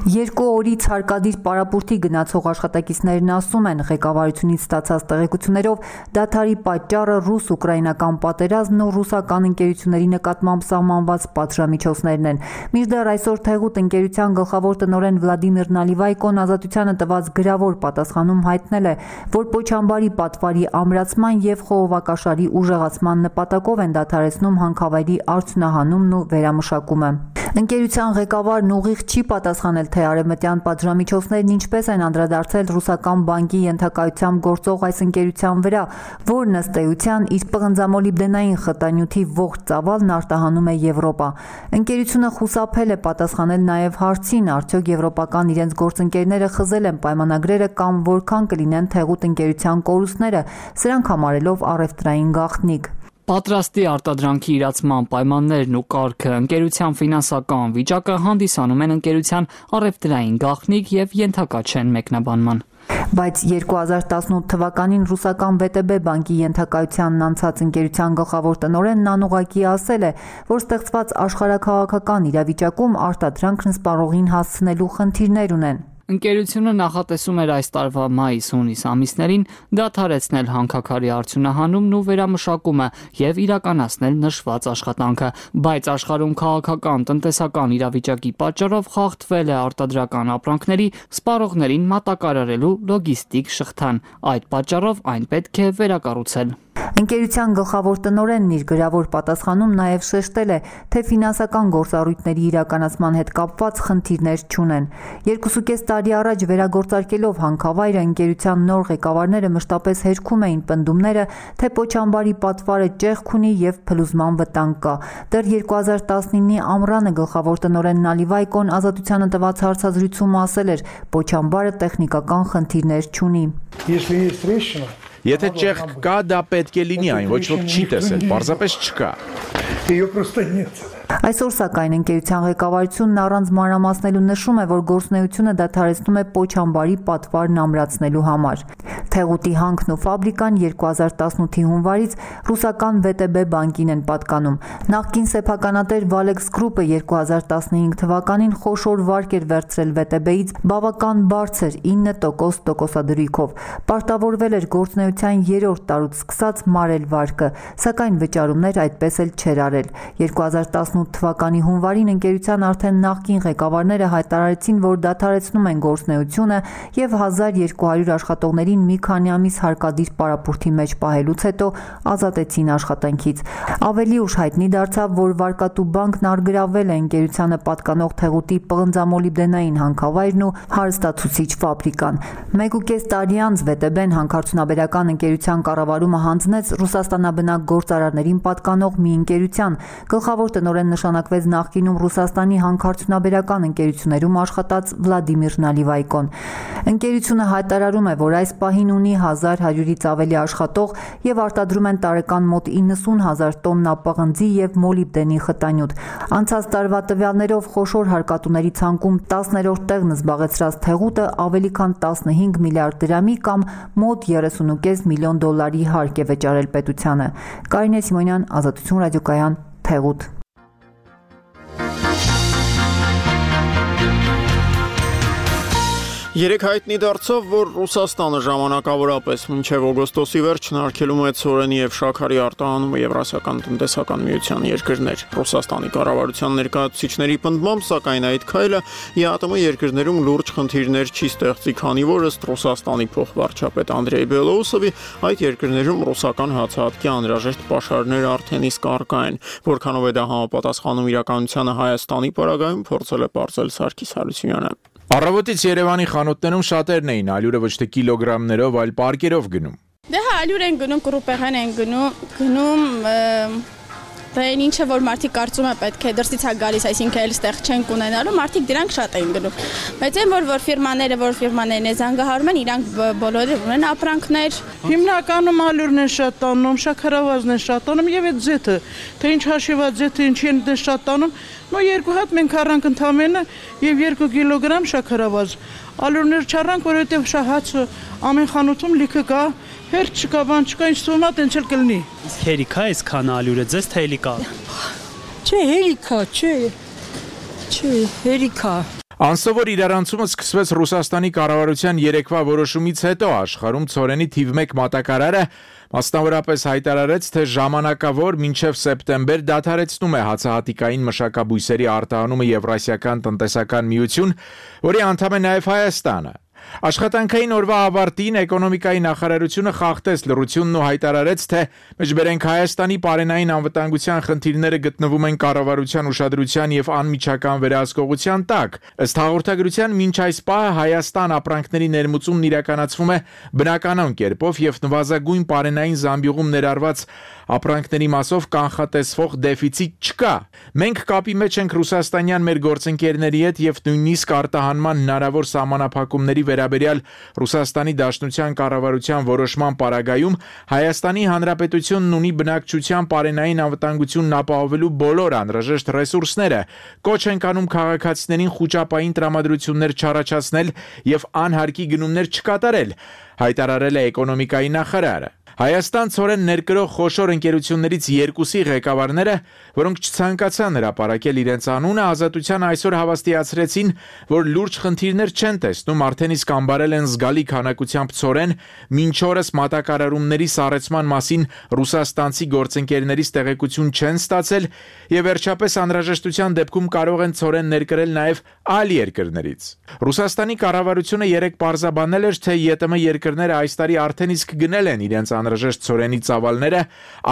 E: Երկու օրից հարկադիր պարապուրդի գնացող աշխատակիցներն ասում են, ղեկավարությունից ստացած տեղեկություններով դադարի պատճառը ռուս-ուկրաինական պատերազմն ու ռուսական ընկերությունների նկատմամբ սահմանված պատժամիջոցներն են։ Մինչդեռ այսօր Թեղուտ ընկերության գլխավոր տնօրեն Վլադիմիր Նալիվայկոն Ազատությանը տված գրավոր պատասխանում հայտնել է, որ Պոչամբարի պատվարի ամրացման եւ խողովակաշարի ուժեղացման նպատակով են դադարեցնում հանքավայրի արդյունահանումն ու վերամշակումը։ Ընկերության ղեկավարն ուղիղ չի պատասխանել, թե արևմտյան պատժամիջոցներն ինչպես են անդրադարձել ռուսական բանկի ենթակայությամբ գործող այս ընկերության վրա, որն ըստ էության իր պղնձամոլիբդենային խտանյութի ողջ ծավալն արտահանում է Եվրոպա։ Ընկերությունը խուսափել է պատասխանել նաև հարցին, արդյոք եվրոպական իրենց գործընկերները խզել են պայմանագրերը կամ որքան կլինեն Թեղուտ ընկերության կորուստները, սրանք համարելով առևտրային գաղտնիք։
F: Պատրաստի արտադրանքի իրացման պայմաններն ու կարգը, ընկերության ֆինանսական վիճակը հանդիսանում են ընկերության առևտրային գաղտնիք եւ ենթակա չեն մեկնաբանման։
E: Բայց երկու հազար տասնութ թվականին ռուսական վե տե բե բանկի ենթակայությանն անցած ընկերության գլխավոր տնօրենն անուղղակի ասել է, որ ստեղծված աշխարհաքաղաքական իրավիճակում արտադրանքն սպառողին հասցնելու խնդիրներ ունեն։
F: Ընկերությունը նախատեսում էր այս տարվա մայիս-հունիս ամիսներին դադարեցնել հանքաքարի արդյունահանումն ու վերամշակումը եւ իրականացնել նշված աշխատանքը, բայց աշխարհում քաղաքական, տնտեսական իրավիճակի պատճառով խախտվել է արտադրական ապրանքների սպառողներին մատակարարելու լոգիստիկ շղթան։ Այդ պատճառով այն պետք է վերակառուցել։
E: Ընկերության գլխավոր տնօրենն իր գրավոր պատասխանում նաև շեշտել է, թե ֆինանսական գործառույթների իրականացման հետ կապված խնդիրներ չունեն։ Երկուսուկես տարի առաջ վերագործարկելով հանքավայրը ընկերության նոր ղեկավարները մշտապես հերքում էին պնդումները, թե Պոչամբարի պատվարը ճեղք ունի եւ փլուզման վտանգ կա։ Դեռ երկու հազար տասնինի ամռանը գլխավոր տնօրեն Նալիվայկոն Ազատությանը տված հարցազրույցում ասել էր, Պոչամբարը տեխնիկական խնդիրներ չունի։
C: Եթե ճեղք կա, դա պետք է լինի, այն ոչ ոք չի տեսել, պարզապես չկա։
E: Այսօր սակայն ընկերության ղեկավարությունն առանց մանրամասնելու նշում է, որ գործունեությունը դադարեցնում է Պոչամբարի պատվարն ամրացնելու համար։ Թեղուտի հանքն ու ֆաբրիկան երկու հազար տասնութի հունվարից ռուսական վե տե բե բանկին են պատկանում։ Նախկին սեփականատեր Valex Group-ը երկու հազար տասնհինգ թվականին խոշոր վարկ էր վերցրել վե տե բեից բավական բարձր ինը տոկոս տոկոսադրույքով։ Պարտավորվել էր գործունեության երրորդ տարուց սկսած մարել վարկը, սակայն վճարումներ այդպես էլ չէր արել։ երկու հազար տասնութ թվականի հունվարին ընկերության արդեն նախկին ղեկավարները հայտարարեցին, որ դադարեցնում են գործունեությունը եւ հազար երկու հարյուր աշխատողներին մի քանի ամիս հարկադիր պարապուրդի մեջ պահելուց հետո ազատեցին աշխատանքից։ Ավելի ուշ հայտնի դարձավ, որ Վարկատու բանկն առգրավել է ընկերությանը պատկանող Թեղուտի պղնձամոլիբդենային հանքավայրն ու հարստացուցիչ ֆաբրիկան։ Մեկուկես տարի անց վե տե բեն հանքարդյունաբերական ընկերության կառավարումը հանձնեց Ռուսաստանաբնակ գործարարներին պատկանող մի ընկերության։ Գլխավոր տնօրեն նշանակվեց նախկինում Ռուսաստանի հանքարդյունաբերական ընկերություններում աշխատած Վլադիմիր Նալիվայկոն։ Ընկերությունը հայտարարում է, որ այս պահին ունի հազար հարյուրից ավելի աշխատող եւ արտադրում են տարեկան մոտ իննսուն հազար տոննա պղնձի եւ մոլիբդենի խտանյութ։ Անցած տարվա տվյալներով խոշոր հարկատուների ցանկում տասներորդ տեղն զբաղեցրած Թեղուտը ավելի քան տասնհինգ միլիարդ դրամի կամ մոտ երեսուն ու կես միլիոն դոլարի հարկ է վճարել պետությանը։ Կարինե Սիմոնյան, Ազատություն ռադիոկայան, Թեղուտ։
A: Երեք հայտնի դարձավ, որ Ռուսաստանը ժամանակավորապես մինչև օգոստոսի վերջն արգելում է ցորենի եւ շաքարի արտահանումը Եվրասիական տնտեսական միության երկրներ։ Ռուսաստանի կառավարության ներկայացուցիչների պնդմամբ, սակայն այդ քայլը ի ԱՏՄ երկրներում լուրջ խնդիրներ չի ստեղծի, քանի որ ըստ Ռուսաստանի փոխվարչապետ Անդրեյ Բելոուսովի այդ երկրներում ռուսական հացահատկի անհրաժեշտ պաշարներ արդեն իսկ առկա են, որքանով է դա համապատասխանում իրականությանը Հայաստանի պարագայում, փորձել է պարզել Սարգիս Հարությունյանը։
C: Առավոտից Երևանի խանութներում շատերն էին ալյուրը ոչ թե կիլոգրամներով, այլ պարկերով գնում։
G: Դե հա, ալյուր են գնում, կռուպեղեն են գնում, գնում Դա այն ինչը որ մարդիկ կարծում է պետք է դրսից է գալիս, այսինքն էլ ստեղ չեն ունենալու, մարդիկ դրանք շատ են գնում։ Բայց այն որ որ ֆիրմաները, որ ֆիրմաներն է զանգահարում են, իրանք բոլորը ունեն ապրանքներ։
I: Հիմնականում ալյուրն են շատ տանում, շաքարավազն են շատ տանում եւ այդ ձեթը, թե ինչ հաշիված ձեթը ինչի են դե շատ տանում, նո երկու հատ մենք առանք ընդամենը եւ երկու կիլոգրամ շաքարավազ։ Ալյուրներ չառանք, որովհետեւ շահացը ամեն խանութում լիքը կա, հերթ չկա, բան չկա, ինչ թվում է, տենց էլ կլինի։
X: Հերիքա էս քան ալյուրը, ձեզ թե հելիկա։
Y: Չէ, հերիքա, չէ։ Չէ, հերիքա։
C: Անսովոր իրարանցումը սկսվեց Ռուսաստանի կառավարության երեկվա որոշումից հետո աշխարհում ցորենի թիվ մեկ մատակարարը մասնավորապես հայտարարեց, թե ժամանակավոր մինչև սեպտեմբեր դադարեցնում է հացահատիկային մշակաբույսերի արտահանումը Եվրասիական տնտեսական միություն, որի անդամ է նաև Հայաստանը։ Աշխատանքային օրվա ավարտին էկոնոմիկայի նախարարությունը խախտեց լռությունն ու հայտարարեց, թե մեջբերենք Հայաստանի պարենային անվտանգության խնդիրները գտնվում են կառավարության ուշադրության եւ անմիջական վերահսկողության տակ։ Ըստ հաղորդագրության մինչ այս պահը Հայաստան ապրանքների ներմուծումն իրականացվում է բնականon կերպով եւ նվազագույն պարենային զամբյուղում ներառված ապրանքների մասով կանխատեսվող դեֆիցիտ չկա։ Մենք կապի մեջ ենք ռուսաստանյան մեր գործընկերների հետ եւ նույնիսկ արտահանման հնարավոր սահմանափակումների վերաբերյալ Ռուսաստանի Դաշնության կառավարության որոշման պարագայում Հայաստանի Հանրապետությունն ունի բնակչության պարենային անվտանգությունն ապահովելու բոլոր անհրաժեշտ ռեսուրսները։ Կոչ ենք անում քաղաքացիներին խուճապային տրամադրություններ չառաջացնել եւ անհարկի գնումներ չկատարել, հայտարարել է էկոնոմիկայի նախարարը։ Հայաստան ցորեն ներկրող խոշոր ընկերություններից երկուսի ղեկավարները, որոնք չցանկացան հրապարակել իրենց անունը, Ազատության այսօր հավաստիացրեցին, որ լուրջ խնդիրներ չեն տեսնում, արդեն իսկ ամբարել են զգալի քանակությամբ ցորեն, մինչ օրս մատակարարումների սառեցման մասին ռուսաստանցի գործընկերներից տեղեկություն չեն ստացել եւ վերջապես անհրաժեշտության դեպքում կարող են ցորեն ներկրել նաեւ այլ երկրներից։ Ռուսաստանի կառավարությունը երեք պարզաբանել էր, թե ԵՏՄ երկրները այս տարի արդեն իսկ գնել են իրենց անհրաժեշտ ցորենի ծավալները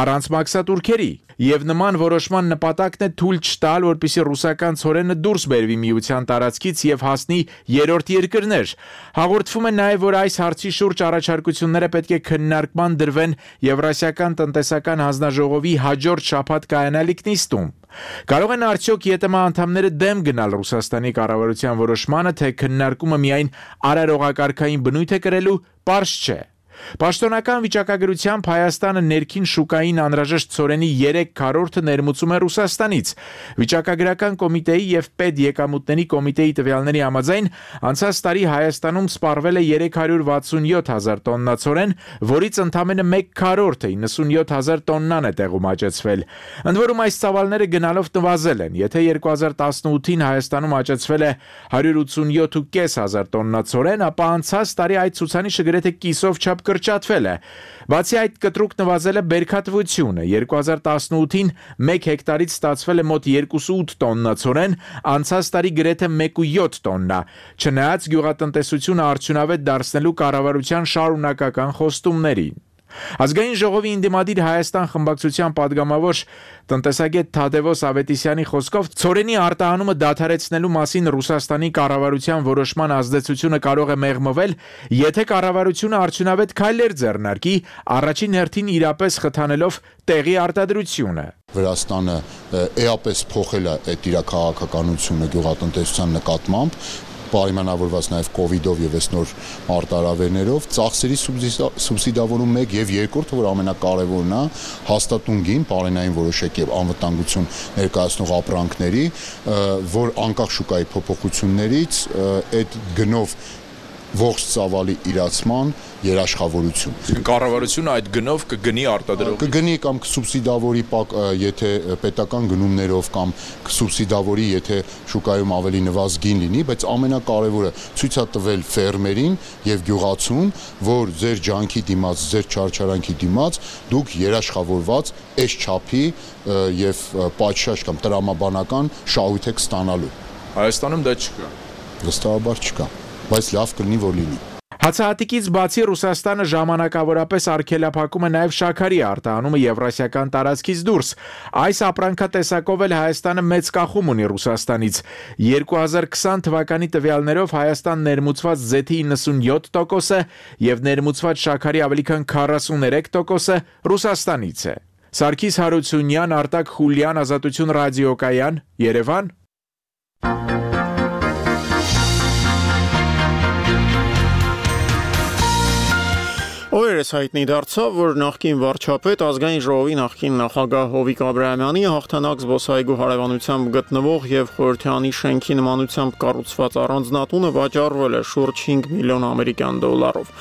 C: առանց մաքսատուրքերի, եւ նման որոշման նպատակն է թույլ չտալ, որպեսզի ռուսական ցորենը դուրս բերվի միության տարածքից եւ հասնի երրորդ երկրներ։ Հաղորդվում է նաեւ, որ այս հարցի շուրջ առաջարկությունները պետք է քննարկման դրվեն Եվրասիական տնտեսական հանձնաժողովի հաջորդ շաբաթ կայանալիք նիստում։ Կարող են արդյոք ԵՏՄ անդամները դեմ գնալ Ռուսաստանի կառավարության որոշմանը, թե քննարկումը միայն արարողակարգային բնույթ է կրելու, պարզ չէ։ Պաշտոնական վիճակագրությամբ Հայաստանը ներքին շուկային անհրաժեշտ ցորենի երեք քառորդը ներմուծում է Ռուսաստանից։ Վիճակագրական կոմիտեի եւ պետեկամուտների կոմիտեի տվյալների համաձայն անցած տարի Հայաստանում սպառվել է երեք հարյուր վաթսունյոթ հազար տոննա ցորեն, որից ընդամենը մեկ քառորդը իննսունյոթ հազար տոննան է տեղում աճեցվել։ Ընդ որում այս ծավալները գնալով նվազել են։ Եթե երկու հազար տասնութին Հայաստանում աճեցվել է հարյուր ութսունյոթ հազար պանսոց տոննա ցորեն, ապա անցած տարի այդ ցուցանիշը գրեթե կիսով չափ կրճատվել է։ Բացի այդ, կտրուկ նվազել է բերքատվությունը։ երկու հազար տասնութին մեկ հեկտարից ստացվել է մոտ երկուսուութ տոննա ցորեն, անցած տարի գրեթե մեկ կόμμα յոթ տոննա։ Չնայած գյուղատնտեսությունը արդյունավետ դարձնելու կառավարության շարունակական խոստումներին։ Ազգային ժողովի ինդիմադիր Հայաստան խմբակցության падգամավոր տնտեսագետ Թադևոս Ավետիսյանի խոսքով ցորենի արտահանումը դադարեցնելու մասին Ռուսաստանի կառավարության որոշման ազդեցությունը կարող է մեղմվել, եթե կառավարությունը արդյունավետ քայլեր ձեռնարկի, առաջին հերթին իրապես խթանելով տեղի արտադրությունը։
H: Վրաստանը էապես փոխել է այդ իր քաղաքականությունը գյուղատնտեսության նկատմամբ, պայմանավորված նաև կովիդով եւ այս նոր արտարավերներով, ծախսերի սուբսիդավորում մեկ եւ երկրորդը, որ ամենակարևորն է, հաստատուն գին, պարենային որոշակ եւ անվտանգություն ներկայացնող ապրանքների, որ անկախ շուկայի փոփոխություններից այդ գնով ողջ ծավալի իրացման երաշխավորություն։
C: Կառավարությունը այդ գնով կգնի արտադրող։
H: Կգնի կամ կսուբսիդավորի, եթե պետական գնումներով կամ կսուբսիդավորի, եթե շուկայում ավելի նվազ գին լինի, բայց ամենակարևորը ցույց է տվել ֆերմերին եւ գյուղացուն, որ ձեր ջանքի դիմաց, ձեր չարչարանքի դիմաց դուք երաշխավորված այս չափի եւ պատշաճ կամ տրամաբանական շահույթ եք ստանալու։
C: Հայաստանում դա չկա։
H: Վստահաբար չկա, բայց լավ կլինի, որ լինի։
C: Հացահատիկից բացի Ռուսաստանը ժամանակավորապես արգելափակում է նաև շաքարի արտահանումը Եվրասիական տարածքից դուրս։ Այս ապրանքատեսակով էլ Հայաստանը մեծ կախում ունի Ռուսաստանից։ երկու հազար քսան թվականի տվյալներով Հայաստան ներմուծված զեթի իննսունյոթ տոկոսը եւ ներմուծված շաքարի ավելի քան քառասուներեք տոկոսը Ռուսաստանից է։ Սարգիս Հարությունյան, Արտակ Խուլյան, Ազատություն ռադիոկայան, Երևան։
A: Օրերս հայտնի դարձավ, որ նախկին վարչապետ ազգային ժողովի նախկին նախագահ Հովիկ Աբրահամյանի հաղթանակ զբոսայգու հարևանությամբ գտնվող եւ Խորհրդյանի շենքի նմանությամբ կառուցված առանձնատունը վաճառվել է շուրջ հինգ միլիոն ամերիկյան դոլարով։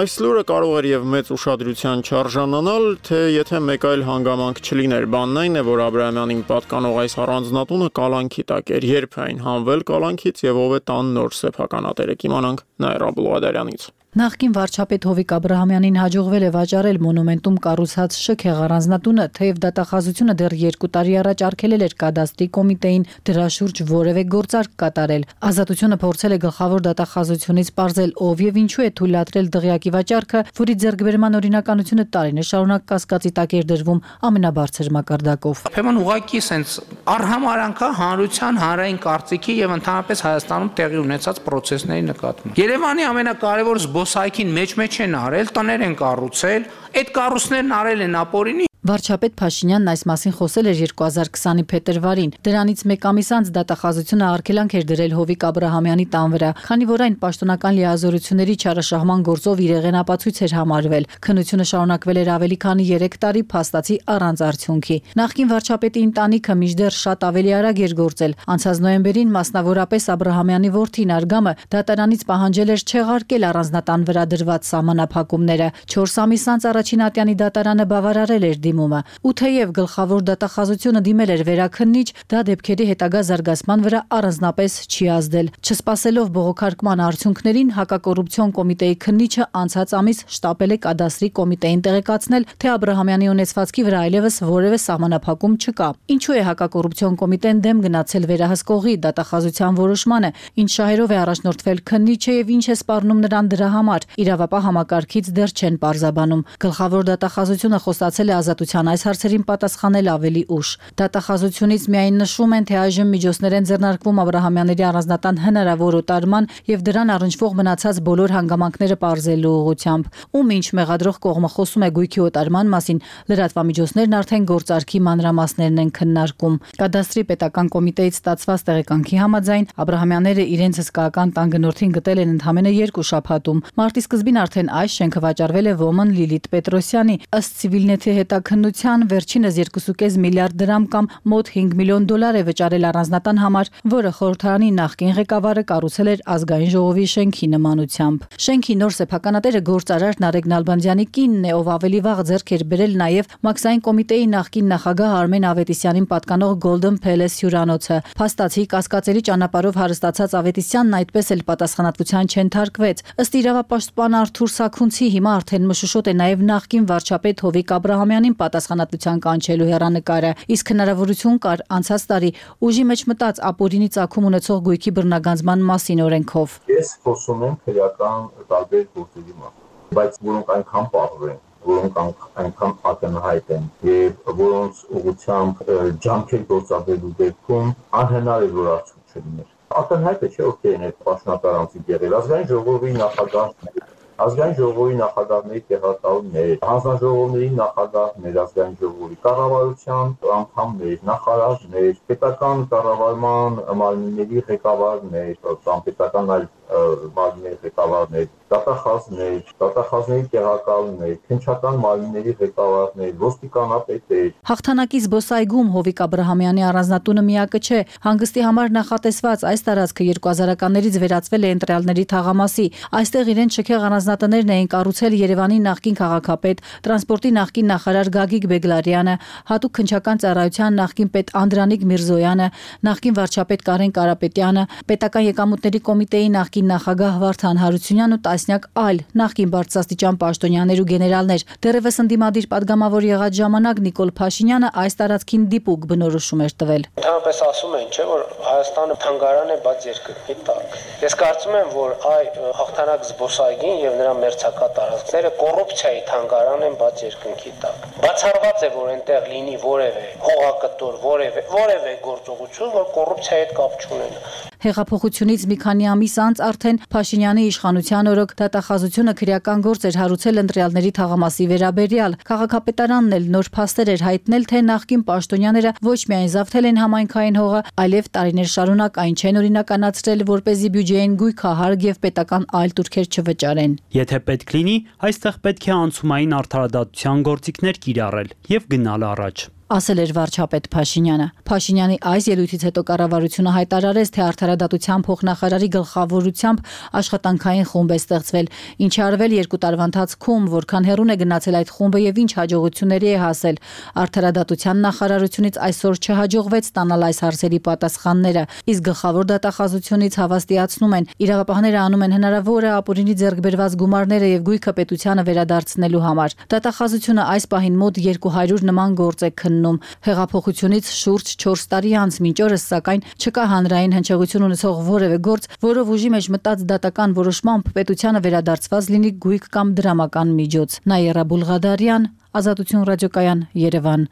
A: Այս լուրը կարող էր եւ մեծ ուշադրության չարժանանալ, թե եթե մեկ այլ հանգամանք չլիներ, բանն այն է, որ Աբրահամյանին պատկանող այս առանձնատունը կալանքի տակ էր, երբ այն հանվել կալանքից եւ ով է տան նոր սեփականատերը, կիմանանք Նաիրա Բուլղադարյանից։
J: Նախկին վարչապետ Հովիկ Աբրահամյանին հաջողվել է վաճառել մոնումենտում կառուցած շքեղ առանձնատունը, թեև դատախազությունը դեռ երկու տարի առաջ արգելել էր կադաստրի կոմիտեին դրա շուրջ որևէ գործարք կատարել։ Ազատությունը փորձել է գլխավոր դատախազությունից պարզել ով եւ ինչու է թույլատրել դղյակի վաճառքը, որի ձեռքբերման օրինականությունը տարիներ շարունակ կասկածի տակ էր դրվում ամենաբարձր մակարդակով։
Q: Ուրեմն ուղղակի սենց արհամարանքա հանրության հանրային կարծիքի եւ ընդհանրապես Հայաստանում տեղի ունեցած process-ների նկատմամբ։ Երևանի ամենակարևոր զբոսայգին մեջ-մեջ են արել, տներ են կառուցել, այդ կառույցներն արել են ապօրինի
J: Վարչապետ Փաշինյանն այս մասին խոսել էր երկու հազար քսանի փետրվարին։ Դրանից մեկ ամիս անց դատախազությունը արգելանք էր դրել Հովիկ Աբրահամյանի տան վրա, քանի որ այն պաշտոնական լիազորությունների չարաշահման գործով իրեղեն ապացույց էր համարվել։ Քննությունը շարունակվել էր ավելի քանի երեք տարի փաստացի առանց արդյունքի։ Նախկին վարչապետի ընտանիքը մինչդեռ շատ ավելի արագ էր գործել։ Անցած նոյեմբերին մասնավորապես Աբրահամյանի որդին Արգամը դատարանից պահանջել էր չեղարկել առանձնատան վրա դրված սահմանափակումները։ չորս ամիս անց առաջին ատյանի դատարանը բավարարել էր դիմումը։ Ու թեև գլխավոր դատախազությունը դիմել էր վերաքննիչ, դա դեպքերի հետագա զարգացման վրա առանձնապես չի ազդել։ Չսպասելով բողոքարկման արդյունքներին, հակակոռուպցիոն կոմիտեի քննիչը անցած ամիս շտապել է կադաստրի կոմիտեին տեղեկացնել, թե Աբրահամյանի ունեցվածքի վրա այլևս որևէ սահմանափակում չկա։ Ինչու է հակակոռուպցիոն կոմիտեն դեմ գնացել վերահսկողի դատախազության որոշմանը, ինչ շահերով է առաջնորդվել քննիչը եւ ինչ է սպառնում նրան դրա համար, իրավապահ համակարգից դեռ չեն պարզաբանում։ Գլխավոր դատախազությունը խոստացել է ազատության այս հարցերին պատասխանել ավելի ուշ։ Դատախազությունից միայն նշում են, թե այժմ միջոցներ են ձեռնարկվում Աբրահամյանների առանձնատան հնարավոր օտարման եւ դրան առնչվող մնացած բոլոր հանգամանքները պարզելու ուղղությամբ։ Ում ինչ մեղադրող կողմը խոսում է գույքի օտարման մասին, լրատվամիջոցներն արդեն գործարքի մանրամասներն են քննարկում։ Կադաստրի պետական կոմիտեից ստացված տեղեկանքի համաձայն Աբրահամյանները իրենց հսկայական տան գնորդին գտել են ընդամենը երկու շաբաթում։ Մարտի սկզբին արդեն այս շենքը վաճառվել է ոմն Լիլիթ Պետրոսյանի։ Ըստ Civilnet-ի հետաքննության վերջինս երկու կoma պենս միլիարդ դրամ կամ մոտ հինգ միլիոն դոլար է վճարել առանձնատան համար, որը խորհրդարանի նախկին ղեկավարը կառուցել էր ազգային ժողովի շենքի նմանությամբ։ Շենքի նոր սեփականատերը գործարար Նարեկ Նալբանդյանի կինն է, ով ավելի վաղ ձեռք էր բերել նաև Մաքսային կոմիտեի նախկին նախագահ Արմեն Ավետիսյանին պատկանող Golden Palace հյուրանոցը։ Փաստացի կասկածելի ճանապարհով հարստացած Ավետիսյանն այդպես էլ պատասխանատվության չընթարկվեց։ Ըստ իրավապաշտպան Արթուր Սաքունցի հիմա արդեն մշուշոտ է նաև նախկին վարչապետ Հովիկ Աբրահամյանին պատասխանատվության կանչելու հեռանկարը, իսկ հնարավորություն կար անցած տարի ուժի մեջ մտած ապօրինի ծագում ունեցող գույքի բռնագանձման մասին օրենքով։
K: Ես խոսում եմ քրեական տարբեր գործերի մասին, բայց որոնք այնքան պարզ են, որոնք այնքան ակնհայտ են եւ որոնց ուղղությամբ ջանքեր գործադրելու դեպքում անհնար է որ արդյունք չլիներ։ Ակնհայտ է, չէ՞ ովքեր են այդ պաշտոնատարանցի եղել, ազգային ժողովի նախագահ ազգային ժողովի նախագահների տեղակալներ, հանձնաժողովների նախագահներ, ազգային ժողովի կառավարության անդամներ, նախարարներ, պետական կառավարման մարմինների ղեկավարներ, կամ պետական այլ մարմինների ղեկավարներ, դատախազներ, դատախազների տեղակալներ, քննչական մարմինների ղեկավարներ, ոստիկանապետեր։
J: Հաղթանակի զբոսայգում Հովիկ Աբրահամյանի առանձնատունը միակը չէ։ Հանգստի համար նախատեսված այս տարածքը երկու հազարականներից վերածվել է ընտրյալների թաղամասի։ Այստեղ իրենց շքեղ առանձնատներն էին կառուցել Երևանի նախկին քաղաքապետ, տրանսպորտի նախկին նախարար Գագիկ Բեգլարյանը, հատուկ քննչական ծառայության նախկին պետ Անդրանիկ Միրզոյանը, նախկին վարչապետ Կարեն Կարապետյանը, պետական եկամուտների կոմիտեի նախկին նախագահ Վարդան Հարությունյանն ու տասնյակ այլ նախկին բարձրաստիճան պաշտոնյաներ ու գեներալներ։ Դեռևս ընդդիմադիր падգամավոր եղած ժամանակ Նիկոլ Փաշինյանը այս տարածքին դիպուկ բնորոշում էր տվել։
L: Ընդհանրապես ասում են, չէ, որ Հայաստանը թանգարան է, բայց երկրի տակ։ Ես կարծում եմ, որ այ հաղթանակ զբոսայգին եւ նրա մերձակա տարածքները կոռուպցիայի թանգարան են, բայց երկնքի տակ։ Բացառված է, որ այնտեղ լինի որևէ հողակտոր, որևէ որևէ գործողություն, որ կոռուպցիայի հետ կապ չունենա։
J: Հեղափոխությունից մի քանի ամիս անց արդեն Փաշինյանի իշխանության օրոք դատախազությունը քրեական գործ էր հարուցել ընտրյալների թաղամասի վերաբերյալ։ Քաղաքապետարանն էլ նոր փաստեր էր հայտնել, թե նախկին պաշտոնյաները ոչ միայն զավթել են համայնքային հողը, այլև տարիներ շարունակ այն չեն օրինականացրել, որպեսզի բյուջեին գույքահարկ եւ պետական այլ տուրքեր չվճարեն։
X: Եթե պետք լինի, այստեղ պետք է անցումային արդարադատության գործիքներ կիրառել եւ գնալ առաջ,
J: ասել էր վարչապետ Փաշինյանը։ Փաշինյանի այս ելույթից հետո կառավարությունը հայտարարեց, թե արդարադատության փոխնախարարի գլխավորությամբ աշխատանքային խումբ է ստեղծվել, ինչը արվել երկու տարվա ընթացքում, որքան հեռուն է գնացել այդ խումբը եւ ինչ հաջողությունների է հասել։ Արդարադատության նախարարությունից այսօր չհաջողվեց ստանալ այս հարցերի պատասխանները, իսկ գլխավոր դատախազությունից հավաստիացնում են, իրավապահները անում են հնարավորը ապօրինի ձեռք բերված գումարները եւ գույքը պետությանը վերադարձնելու համար։ Դատախազությունը այս պահին մոտ երկու հարյուր նման գործ է քննում։ Հեղափոխությունից շուրջ չորս տարի անց մինչ օրս սակայն չկա հանրային հնչեղություն ունեցող որևէ գործ, որով ուժի մեջ մտած դատական որոշմամբ պետությանը վերադարձված լինի գույք կամ դրամական միջոց։ Նաիրա Բուլղադարյան, Ազատություն ռադիոկայան, Երևան։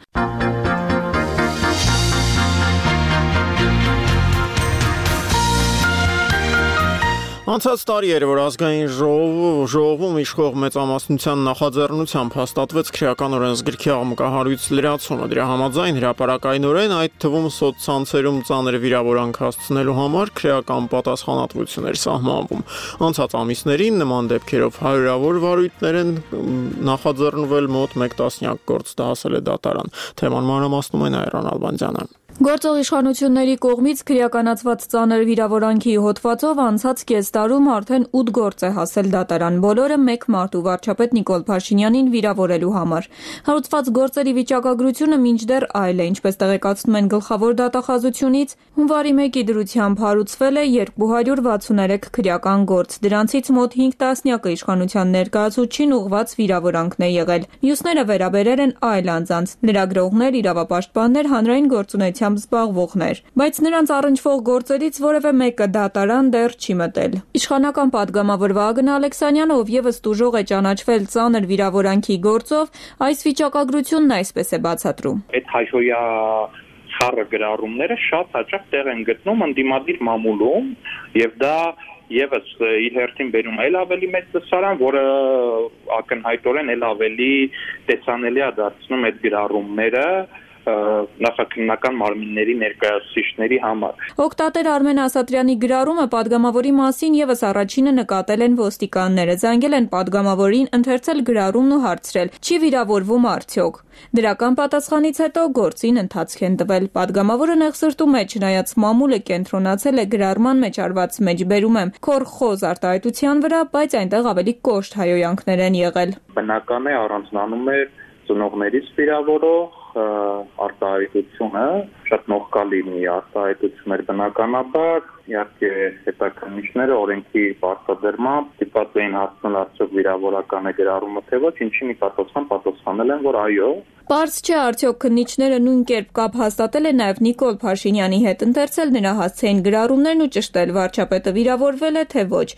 A: Անցած տարի էր, որ ազգային ժողովում իշխող մեծամասնության նախաձեռնությամբ հաստատվեց քրեական օրենսգրքի աղմկահարույց լրացումը։ Դրա համաձայն հրապարակայնորեն, այդ թվում սոցցանցերում ծանր վիրավորանք հասցնելու համար քրեական պատասխանատվություն էր սահմանվում։ Անցած ամիսներին նման դեպքերով հարյուրավոր վարույթներ են նախաձեռնվել, մոտ մեկ տասնյակ գործ դասել է դատարան։ Թեման մանրամասնում է Նաիրան Ալբանդյանը։
N: Գործող իշխանությունների կողմից քրեականացված ծանր վիրավորանքի հոդվածով անցած կես տարում արդեն ութ գործ է հասել դատարան, բոլորը մեկ մարդու վարչապետ Նիկոլ Փաշինյանին վիրավորելու համար։ Հարուցված գործերի վիճակագրությունը մինչդեռ այլ է, ինչպես տեղեկացնում են գլխավոր դատախազությունից, հունվարի մեկի դրությամբ հարուցվել է երկու հարյուր վաթսուներեք քրեական գործ, դրանցից մոտ հինգ տասնյակը իշխանության ներկայացուցչին ուղղված վիրավորանքն է եղել։ Մյուսները վերաբերել են այլ անձանց՝ լրագրողներ, իրավապաշտպաններ, հանրային գործունեության զբաղվողներ, բայց նրանց առնչվող գործերից որևէ մեկը դատարան դեռ չի մտել։ Իշխանական падգամավոր Վահագն Ալեքսանյանը, ով եւս տուժող է ճանաչվել ծանր վիրավորանքի գործով, այս վիճակագրությունն այսպես է բացատրում։
O: Այդ հայհոյա խառը գրառումները շատ հաճախ տեղ են գտնում ընդդիմադիր մամուլում, եւ դա Եվս իր հերթին բերում է ավելի մեծ տեսարան, որը ակնհայտորեն էլ ավելի տեսանելի է դարձնում այդ գրառումները նախաքննական մարմինների ներկայացուցիչների համար։
N: Օկտատեր Արմեն Ասատրյանի գրառումը падգամավորի մասին եւս առաջինը նկատել են ոստիկանները, զանգել են падգամավորին, ընթերցել գրառումն ու հարցրել՝ չի վիրավորվում արդյոք։ Դրական պատասխանից հետո գործին ընթացք են տվել։ Падգամավորը նեղսրտում է, չնայած մամուլը կենտրոնացել է գրառման մեջ արված մեջբերում եմ քոր խոզ արտահայտության վրա, բայց այնտեղ ավելի կոշտ հայհոյանքներ են եղել։
O: Բնական է առանձնանում է ծնողներից վիրավորող արտահայտությունը, շատ նողկալ լինի արտահայտություններ բնականաբար, իհարկե հետաքննիչները օրենքի բարձրացմամբ դիպած էին հասցնել արդյոք վիրավորական է գրառումը թե ոչ, ինչի նկատողության պատասխանել են, որ այո։
N: Պարզ չէ արդյոք քննիչները նույն կերպ կապ հաստատել են նաև Նիկոլ Փաշինյանի հետ, ընթերցել նրա հասցեին գրառումներն ու ճշտել վարչապետը վիրավորվել է թե ոչ։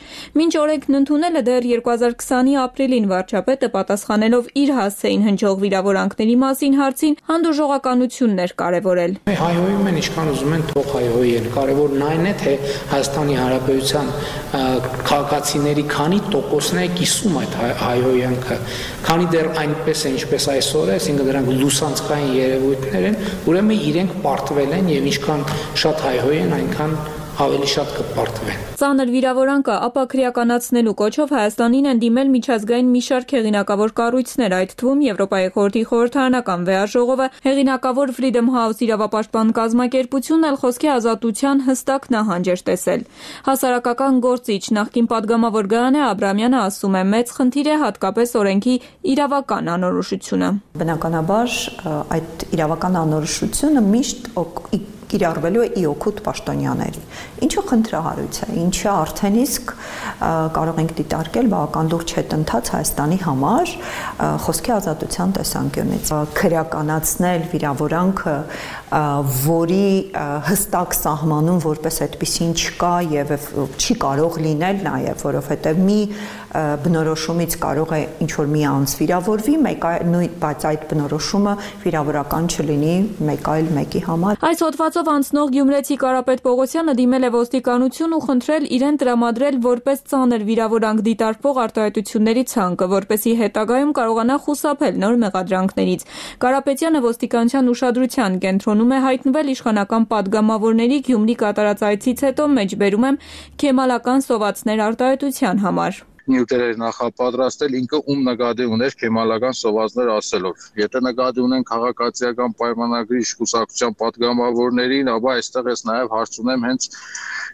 N: Մինչ օրենքն ընդունելը դեռ երկու հազար քսանի ապրիլին վարչապետը պատասխանելով իր հասցեին հնչող վիրավորանքների մասին հարցին հանդուրժողականություններ կարևորել։
Q: Հայհոյում են ինչքան ուզում են թող հայհոյեն, կարևորն այն է, թե Հայաստանի Հանրապետության քաղաքացիների քանի տոկոսն է կիսում այդ հայհոյանքը, քանի դեռ այնպես է ինչպես այսօր է, այսինքն դրանք լուսանցքային երևույթներ են, ուրեմն իրենք պարտվել են եւ ինչքան շատ հայհոյ են, այնքան ավելի շատ կպարտվեն։
N: Ծանր վիրավորանքը ապաքրեականացնելու կոչով Հայաստանին են դիմել միջազգային մի շարք հեղինակավոր կառույցներ, այդ թվում Եվրոպայի խորհրդի խորհրդարանական վեաժողովը, հեղինակավոր Freedom House իրավապաշտպան կազմակերպությունն էլ խոսքի ազատության հստակ նահանջ էր տեսել։ Հասարակական գործիչ նախկին падգամավոր Գայանե Աբրամյանը ասում է, մեծ խնդիր է հատկապես օրենքի իրավական անորոշությունը։
R: Բնականաբար այդ իրավական անորոշությունը միշտ կիրառվելու է ի օգուտ պաշտոնյաների, ինչը խնդրահարույց է, ինչը արդեն իսկ կարող ենք դիտարկել բավական լուրջ հետընթաց Հայաստանի համար խոսքի ազատության տեսանկյունից։ Քրեականացնել վիրավորանքը, որի հստակ սահմանում որպես այդպիսին չկա եւ չի կարող լինել նաեւ, որովհետեւ մի բնորոշումից կարող է ինչ-որ մի անձ վիրավորվի, մեկ այլ, բայց այդ բնորոշումը վիրավորական չլինի մեկ այլ մեկի համար։
N: Այս հոդվածով անցնող գյումրեցի Կարապետ Պողոսյանը դիմել է ոստիկանություն ու խնդրել իրեն տրամադրել որպես ծանր վիրավորանք դիտարկվող արտահայտությունների ցանկը, որպեսզի հետագայում կարողանա խուսափել նոր մեղադրանքներից։ Կարապետյանը ոստիկանության ուշադրության կենտրոնում է հայտնվել իշխանական падգամավորների Գյումրի կատարած այցից հետո մեջբերում եմ քեմալական սովածներ արտահայտության համար։
S: Նյութեր նախապատրաստել ինքը ում նկատի ուներ քեմալական սովածներ ասելով։ Եթե նկատի ունեն քաղաքացիական պայմանագրի կուսակցության падգամավորներին, ապա այստեղ ես նաև հարց ունեմ հենց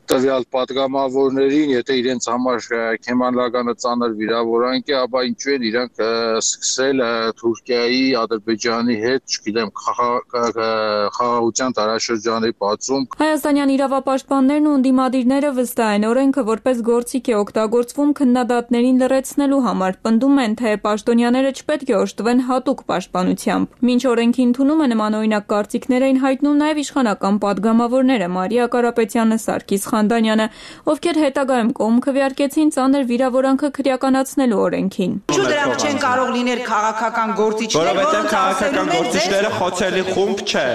S: տվյալ падգամավորներին, եթե իրենց համար քեմալականը ծանր վիրավորանք է, ապա ինչու են իրանք սկսել Թուրքիայի, Ադրբեջանի հետ, չգիտեմ, խաղաղության տարաշրջանի բացում։
N: Հայաստանյան իրավապաշտպաններն ու ընդդիմադիրները վստահ են, օրենքը որպես գործիք է օգտագործվում քննադատներին լրացնելու համար, պնդում են, թե պաշտոնյաները չպետք է օժտվեն հատուկ պաշտպանությամբ։ Մինչ օրենքի ընդունումը նմանօրինակ կարծիքներ էին հայտնում նաև իշխանական падգամավորները Մարիա Կարապետյանը, Սարգիս Խանդանյանը, ովքեր հետագայում կողմ քվեարկեցին ծանր վիրավորանքը քրեականացնելու օրենքին։
T: Ինչու դրանք չեն կարող լինել քաղաքական գործիչներ,
Z: որովհետև քաղաքական գործիչները խոցելի խումբ չէ։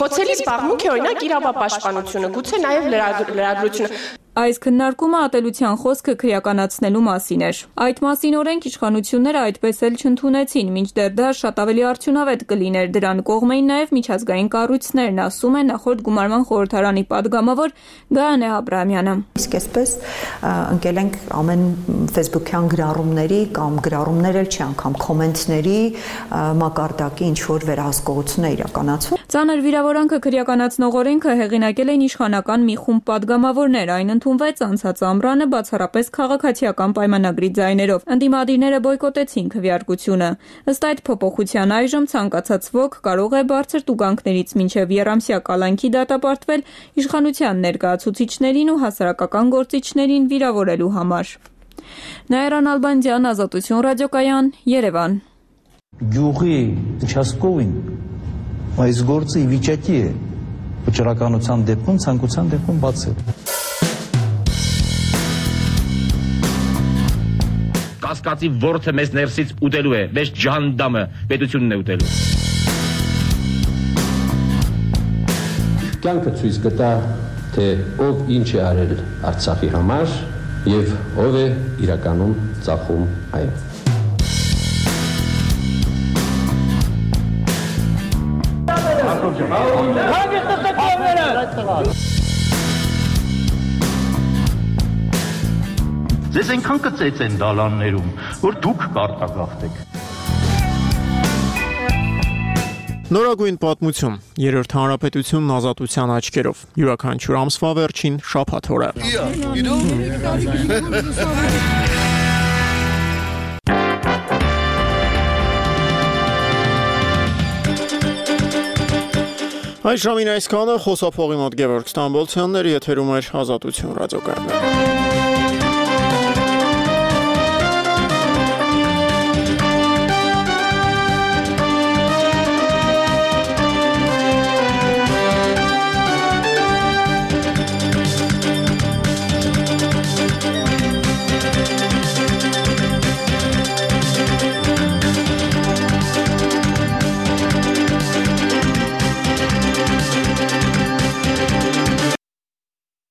T: Խոցելի զբաղմունք է օրինակ իրավապաշտպանությունը, գուցե նաև լրագրությունը։
N: Այս քննարկումը ատելության խոսքը քրեականացնելու մասին էր։ Այդ մասին օրենք իշխանությունները այդպես էլ չընդունեցին, մինչդեռ դա շատ ավելի արդյունավետ կլիներ, դրան կողմ էին նաև միջազգային կառույցներն, ասում է նախորդ գումարման խորհրդարանի падգամավոր Գայանե Աբրահամյանը։
R: Իսկ այսպես ընկել ենք ամեն Facebook-յան գրառումների կամ գրառումներ էլ չի, անգամ կոմենտների մակարդակի ինչ որ վերահսկողություն է իրականացվում։
N: Ծանր վիրավորանքը քրեականացնող օրենքը հեղինակել են իշխանական մի խումբ падգամավորներ, այն ընդունվեց անցած ամռանը բացառապես քաղաքացիական պայմանագրի ձայներով։ Ընդդիմադիրները բոյկոտեցին քվեարկությունը։ Ըստ այդ փոփոխության այժմ ցանկացած ոք կարող է բարձր տուգանքներից մինչև եռամսյա կալանքի դատապարտվել իշխանության ներկայացուցիչներին ու հասարակական գործիչներին վիրավորելու համար։ Նաիրա Նալբանդյան, Ազատություն ռադիոկայան, Երևան։
B: Գյուղի участковին այս գործը ի վիճակի է վճռականության դեպքում ցանկության դեպքում բացել։
D: Կասկածի ворթը մեզ ներսից ուտելու է, մեզ ջանդամը պետությունն է ուտելու։
M: Կյանքը ցույց կտա, թե ով ինչ է արել Արցախի համար եւ ով է իրականում ծախում այն։
P: Ձեզ այնքան կծեց են դալաններում, որ դուք կարտագաղթեք։
A: Նորագույն պատմություն, երրորդ հանրապետությունն ազատության աչքերով, յուրաքանչյուր ամսվա վերջին շաբաթ օրը։ Այս ժամին այսքանը, խոսափողի մոտ Գևորգ Ստամբոլցյանն էր, եթերում էր Ազատություն ռադիոկայանը։